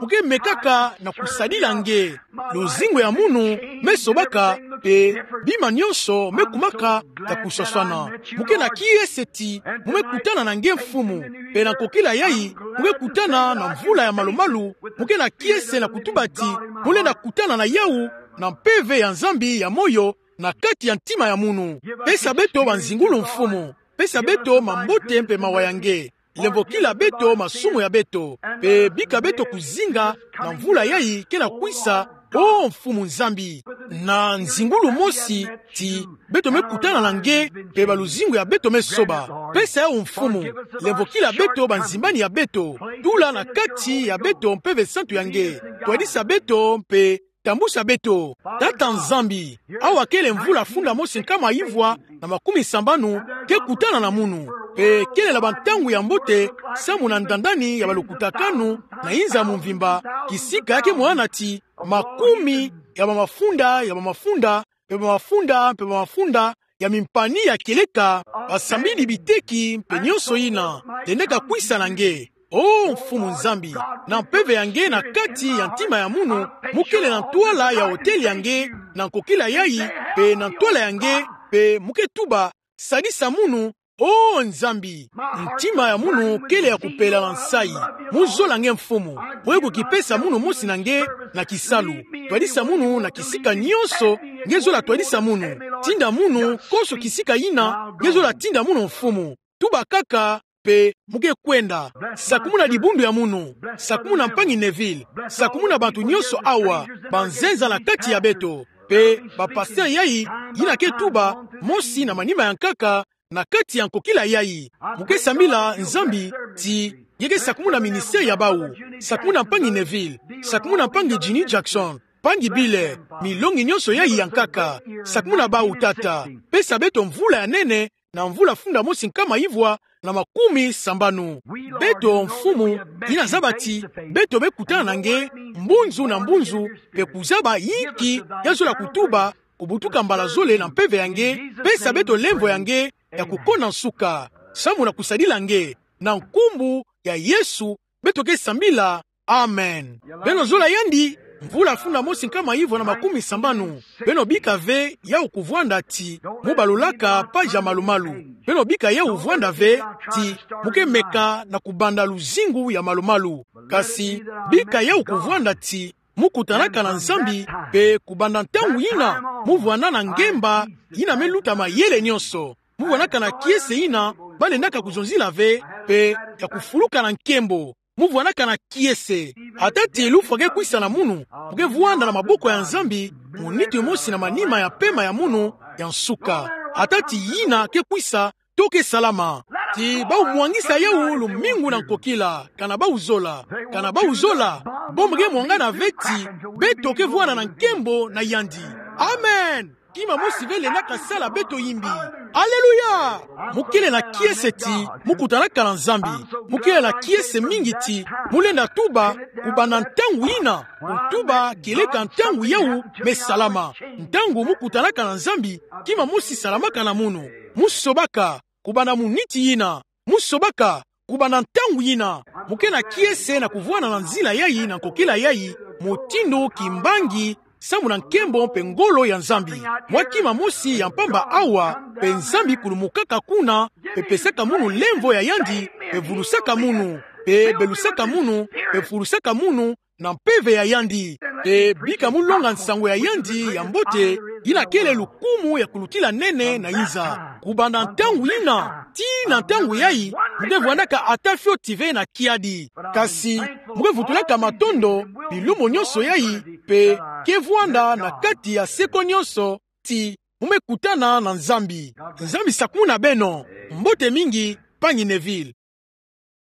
mu ke mekaka na kusadila nge. Luzingu ya munu me sobaka, mpe bima nyonso me kumaka ya kuswaswana. Mu ke na kiese ti mu me kutana na nge, Mfumu. Mpe na nkokila yayi, mu ke kutana na mvula ya malu-malu, mu ke na kiese na kutuba ti mu lenda kutana na yawu na mpeve ya Nzambi ya moyo na kati ya ntima ya munu. Pesa beto banzingulu, Mfumu. Pesa beto mambote mpe mawa ya nge. Lemvokila beto masumu ya beto, mpe bika beto kuzinga na mvula yayi ke na kwisa, o Mfumu Nzambi, na nzingulu mosi ti beto me kutana na nge, mpe baluzingu ya beto me soba. Pesa yawu, Mfumu. Lemvokila beto banzimbani ya beto. Tula na kati ya beto Mpeve Santu ya nge. Twadisa beto mpe tambusa beto. Tata Nzambi, awa kele mvula funda mosi nkama ivwa na makumi sambanu ke kutana na munu. Mpe kele na bantangu ya mbote samu na ndandani ya balukutakanu na inza ya mvimba, kisika ya ke mwana ti makumi ya bamafunda, ya bamafunda, mpe bamafunda, mpe bamafunda ya mimpani ya kieleka, basambidi biteki mpe nyonso yina lendaka kwisa na nge. O Mfumu Nzambi, na mpeve ya nge na kati ya ntima ya munu, mu kele na ntwala ya hotel ya nge, na nkokila yayi, mpe na ntwala ya nge, mpe mu ke tuba: Sadisa munu, o Nzambi. Ntima ya munu kele ya kupela na nsayi. Mu zola nge, Mfumu. Mu ke kukipesa munu mosi na nge na kisalu. Twadisa munu na kisika nyonso nge zola twadisa munu. Tinda munu konso kisika yina nge zola tinda munu, Mfumu. Tuba kaka, mpe mu ke kwenda. Sakumuna dibundu ya munu. Sakumuna mpangi Neville. Sakumuna bantu nyonso awa, banzenza na kati ya beto, mpe bapasteur yayi, yina ke tuba mosi na manima ya nkaka na kati ya nkokila yayi. Mu ke sambila Nzambi ti Nge ke sakumuna ministère ya bau. Sakumuna mpangi Neville. Sakumuna mpangi Jeannie Jackson. Mpangi Bile, milongi nyonso yai ya nkaka. Sakumuna bau, Tata. Pesa beto mvula ya nene, na mvula funda mosi nkama ivwa na makumi sambanu. Beto, Mfumu, yina zaba ti beto me kutana na nge mbunzu na mbunzu, mpe kuzaba inki ya zola kutuba, kubutuka mbala zole na mpeve ya nge, pesa beto lemvo ya nge ya kukona nsuka, samu na kusadila nge, na nkumbu ya Yesu beto ke sambila. Amen. Beno zola yandi, mvula funda mosi nkama ivwa na makumi sambanu. Beno bika ve yawu kuvwanda ti mu balulaka page ya malu-malu. Beno bika yawu vwanda ve ti mu ke meka na kubanda luzingu ya malu-malu. Kasi bika yawu kuvwanda ti mu kutanaka na Nzambi, mpe kubanda ntangu yina mu vwanda na ngemba yina me luta mayele nyonso. Mu vwandaka na kiese yina ba lendaka kuzonzila ve, mpe ya kufuluka na nkembo. Mu vwandaka na kiese. Ata ti lufwa ke kwisa na munu, mu ke vwanda na maboko ya Nzambi, muniti mosi na manima ya pema ya munu ya nsuka. Ata ti yina ke kwisa, to ke salama. Ti bau mwangisa yawu lumingu na nkokila, kana bau zola. Kana bau zola, bo mu ke mwangana ve ti beto ke vwanda na nkembo na yandi. Amen. Kima mosi ve lendaka sala beto imbi. Aleluya! Mu kele na kiese ti mu kutanaka na Nzambi. Mu kele na kiese mingi ti mu lenda tuba, kubanda ntangu yina, kutuba kieleka ntangu yawu me salama. Ntangu mu kutanaka na Nzambi, kima mosi salamaka na munu. Mu sobaka, kubanda muniti yina. Mu sobaka, kubanda ntangu yina. Mu ke na kiese na kuvwanda na nzila yai na nkokila yai, mutindu kimbangi, samu na nkembo mpe ngolo ya Nzambi. Mwa kima mosi ya mpamba awa, mpe Nzambi kulumukaka kuna, mpe pesaka munu lemvo ya yandi, mpe vulusaka munu, mpe belusaka munu, mpe vulusaka munu, na mpeve ya yandi. Mpe bika mu longa nsango ya yandi ya mbote, yina kele lukumu ya kulutila nene na inza. Kubanda ntangu yina, tii na ntangu yai, mu ke vwandaka ata fioti ve na kiadi. Kasi, mu ke vutulaka matondo, bilumbu nyonso yai, mpe ke vwanda na kati ya seko nyonso, ti mu me kutana na Nzambi. Nzambi sakumuna beno, mbote mingi, mpangi Neville.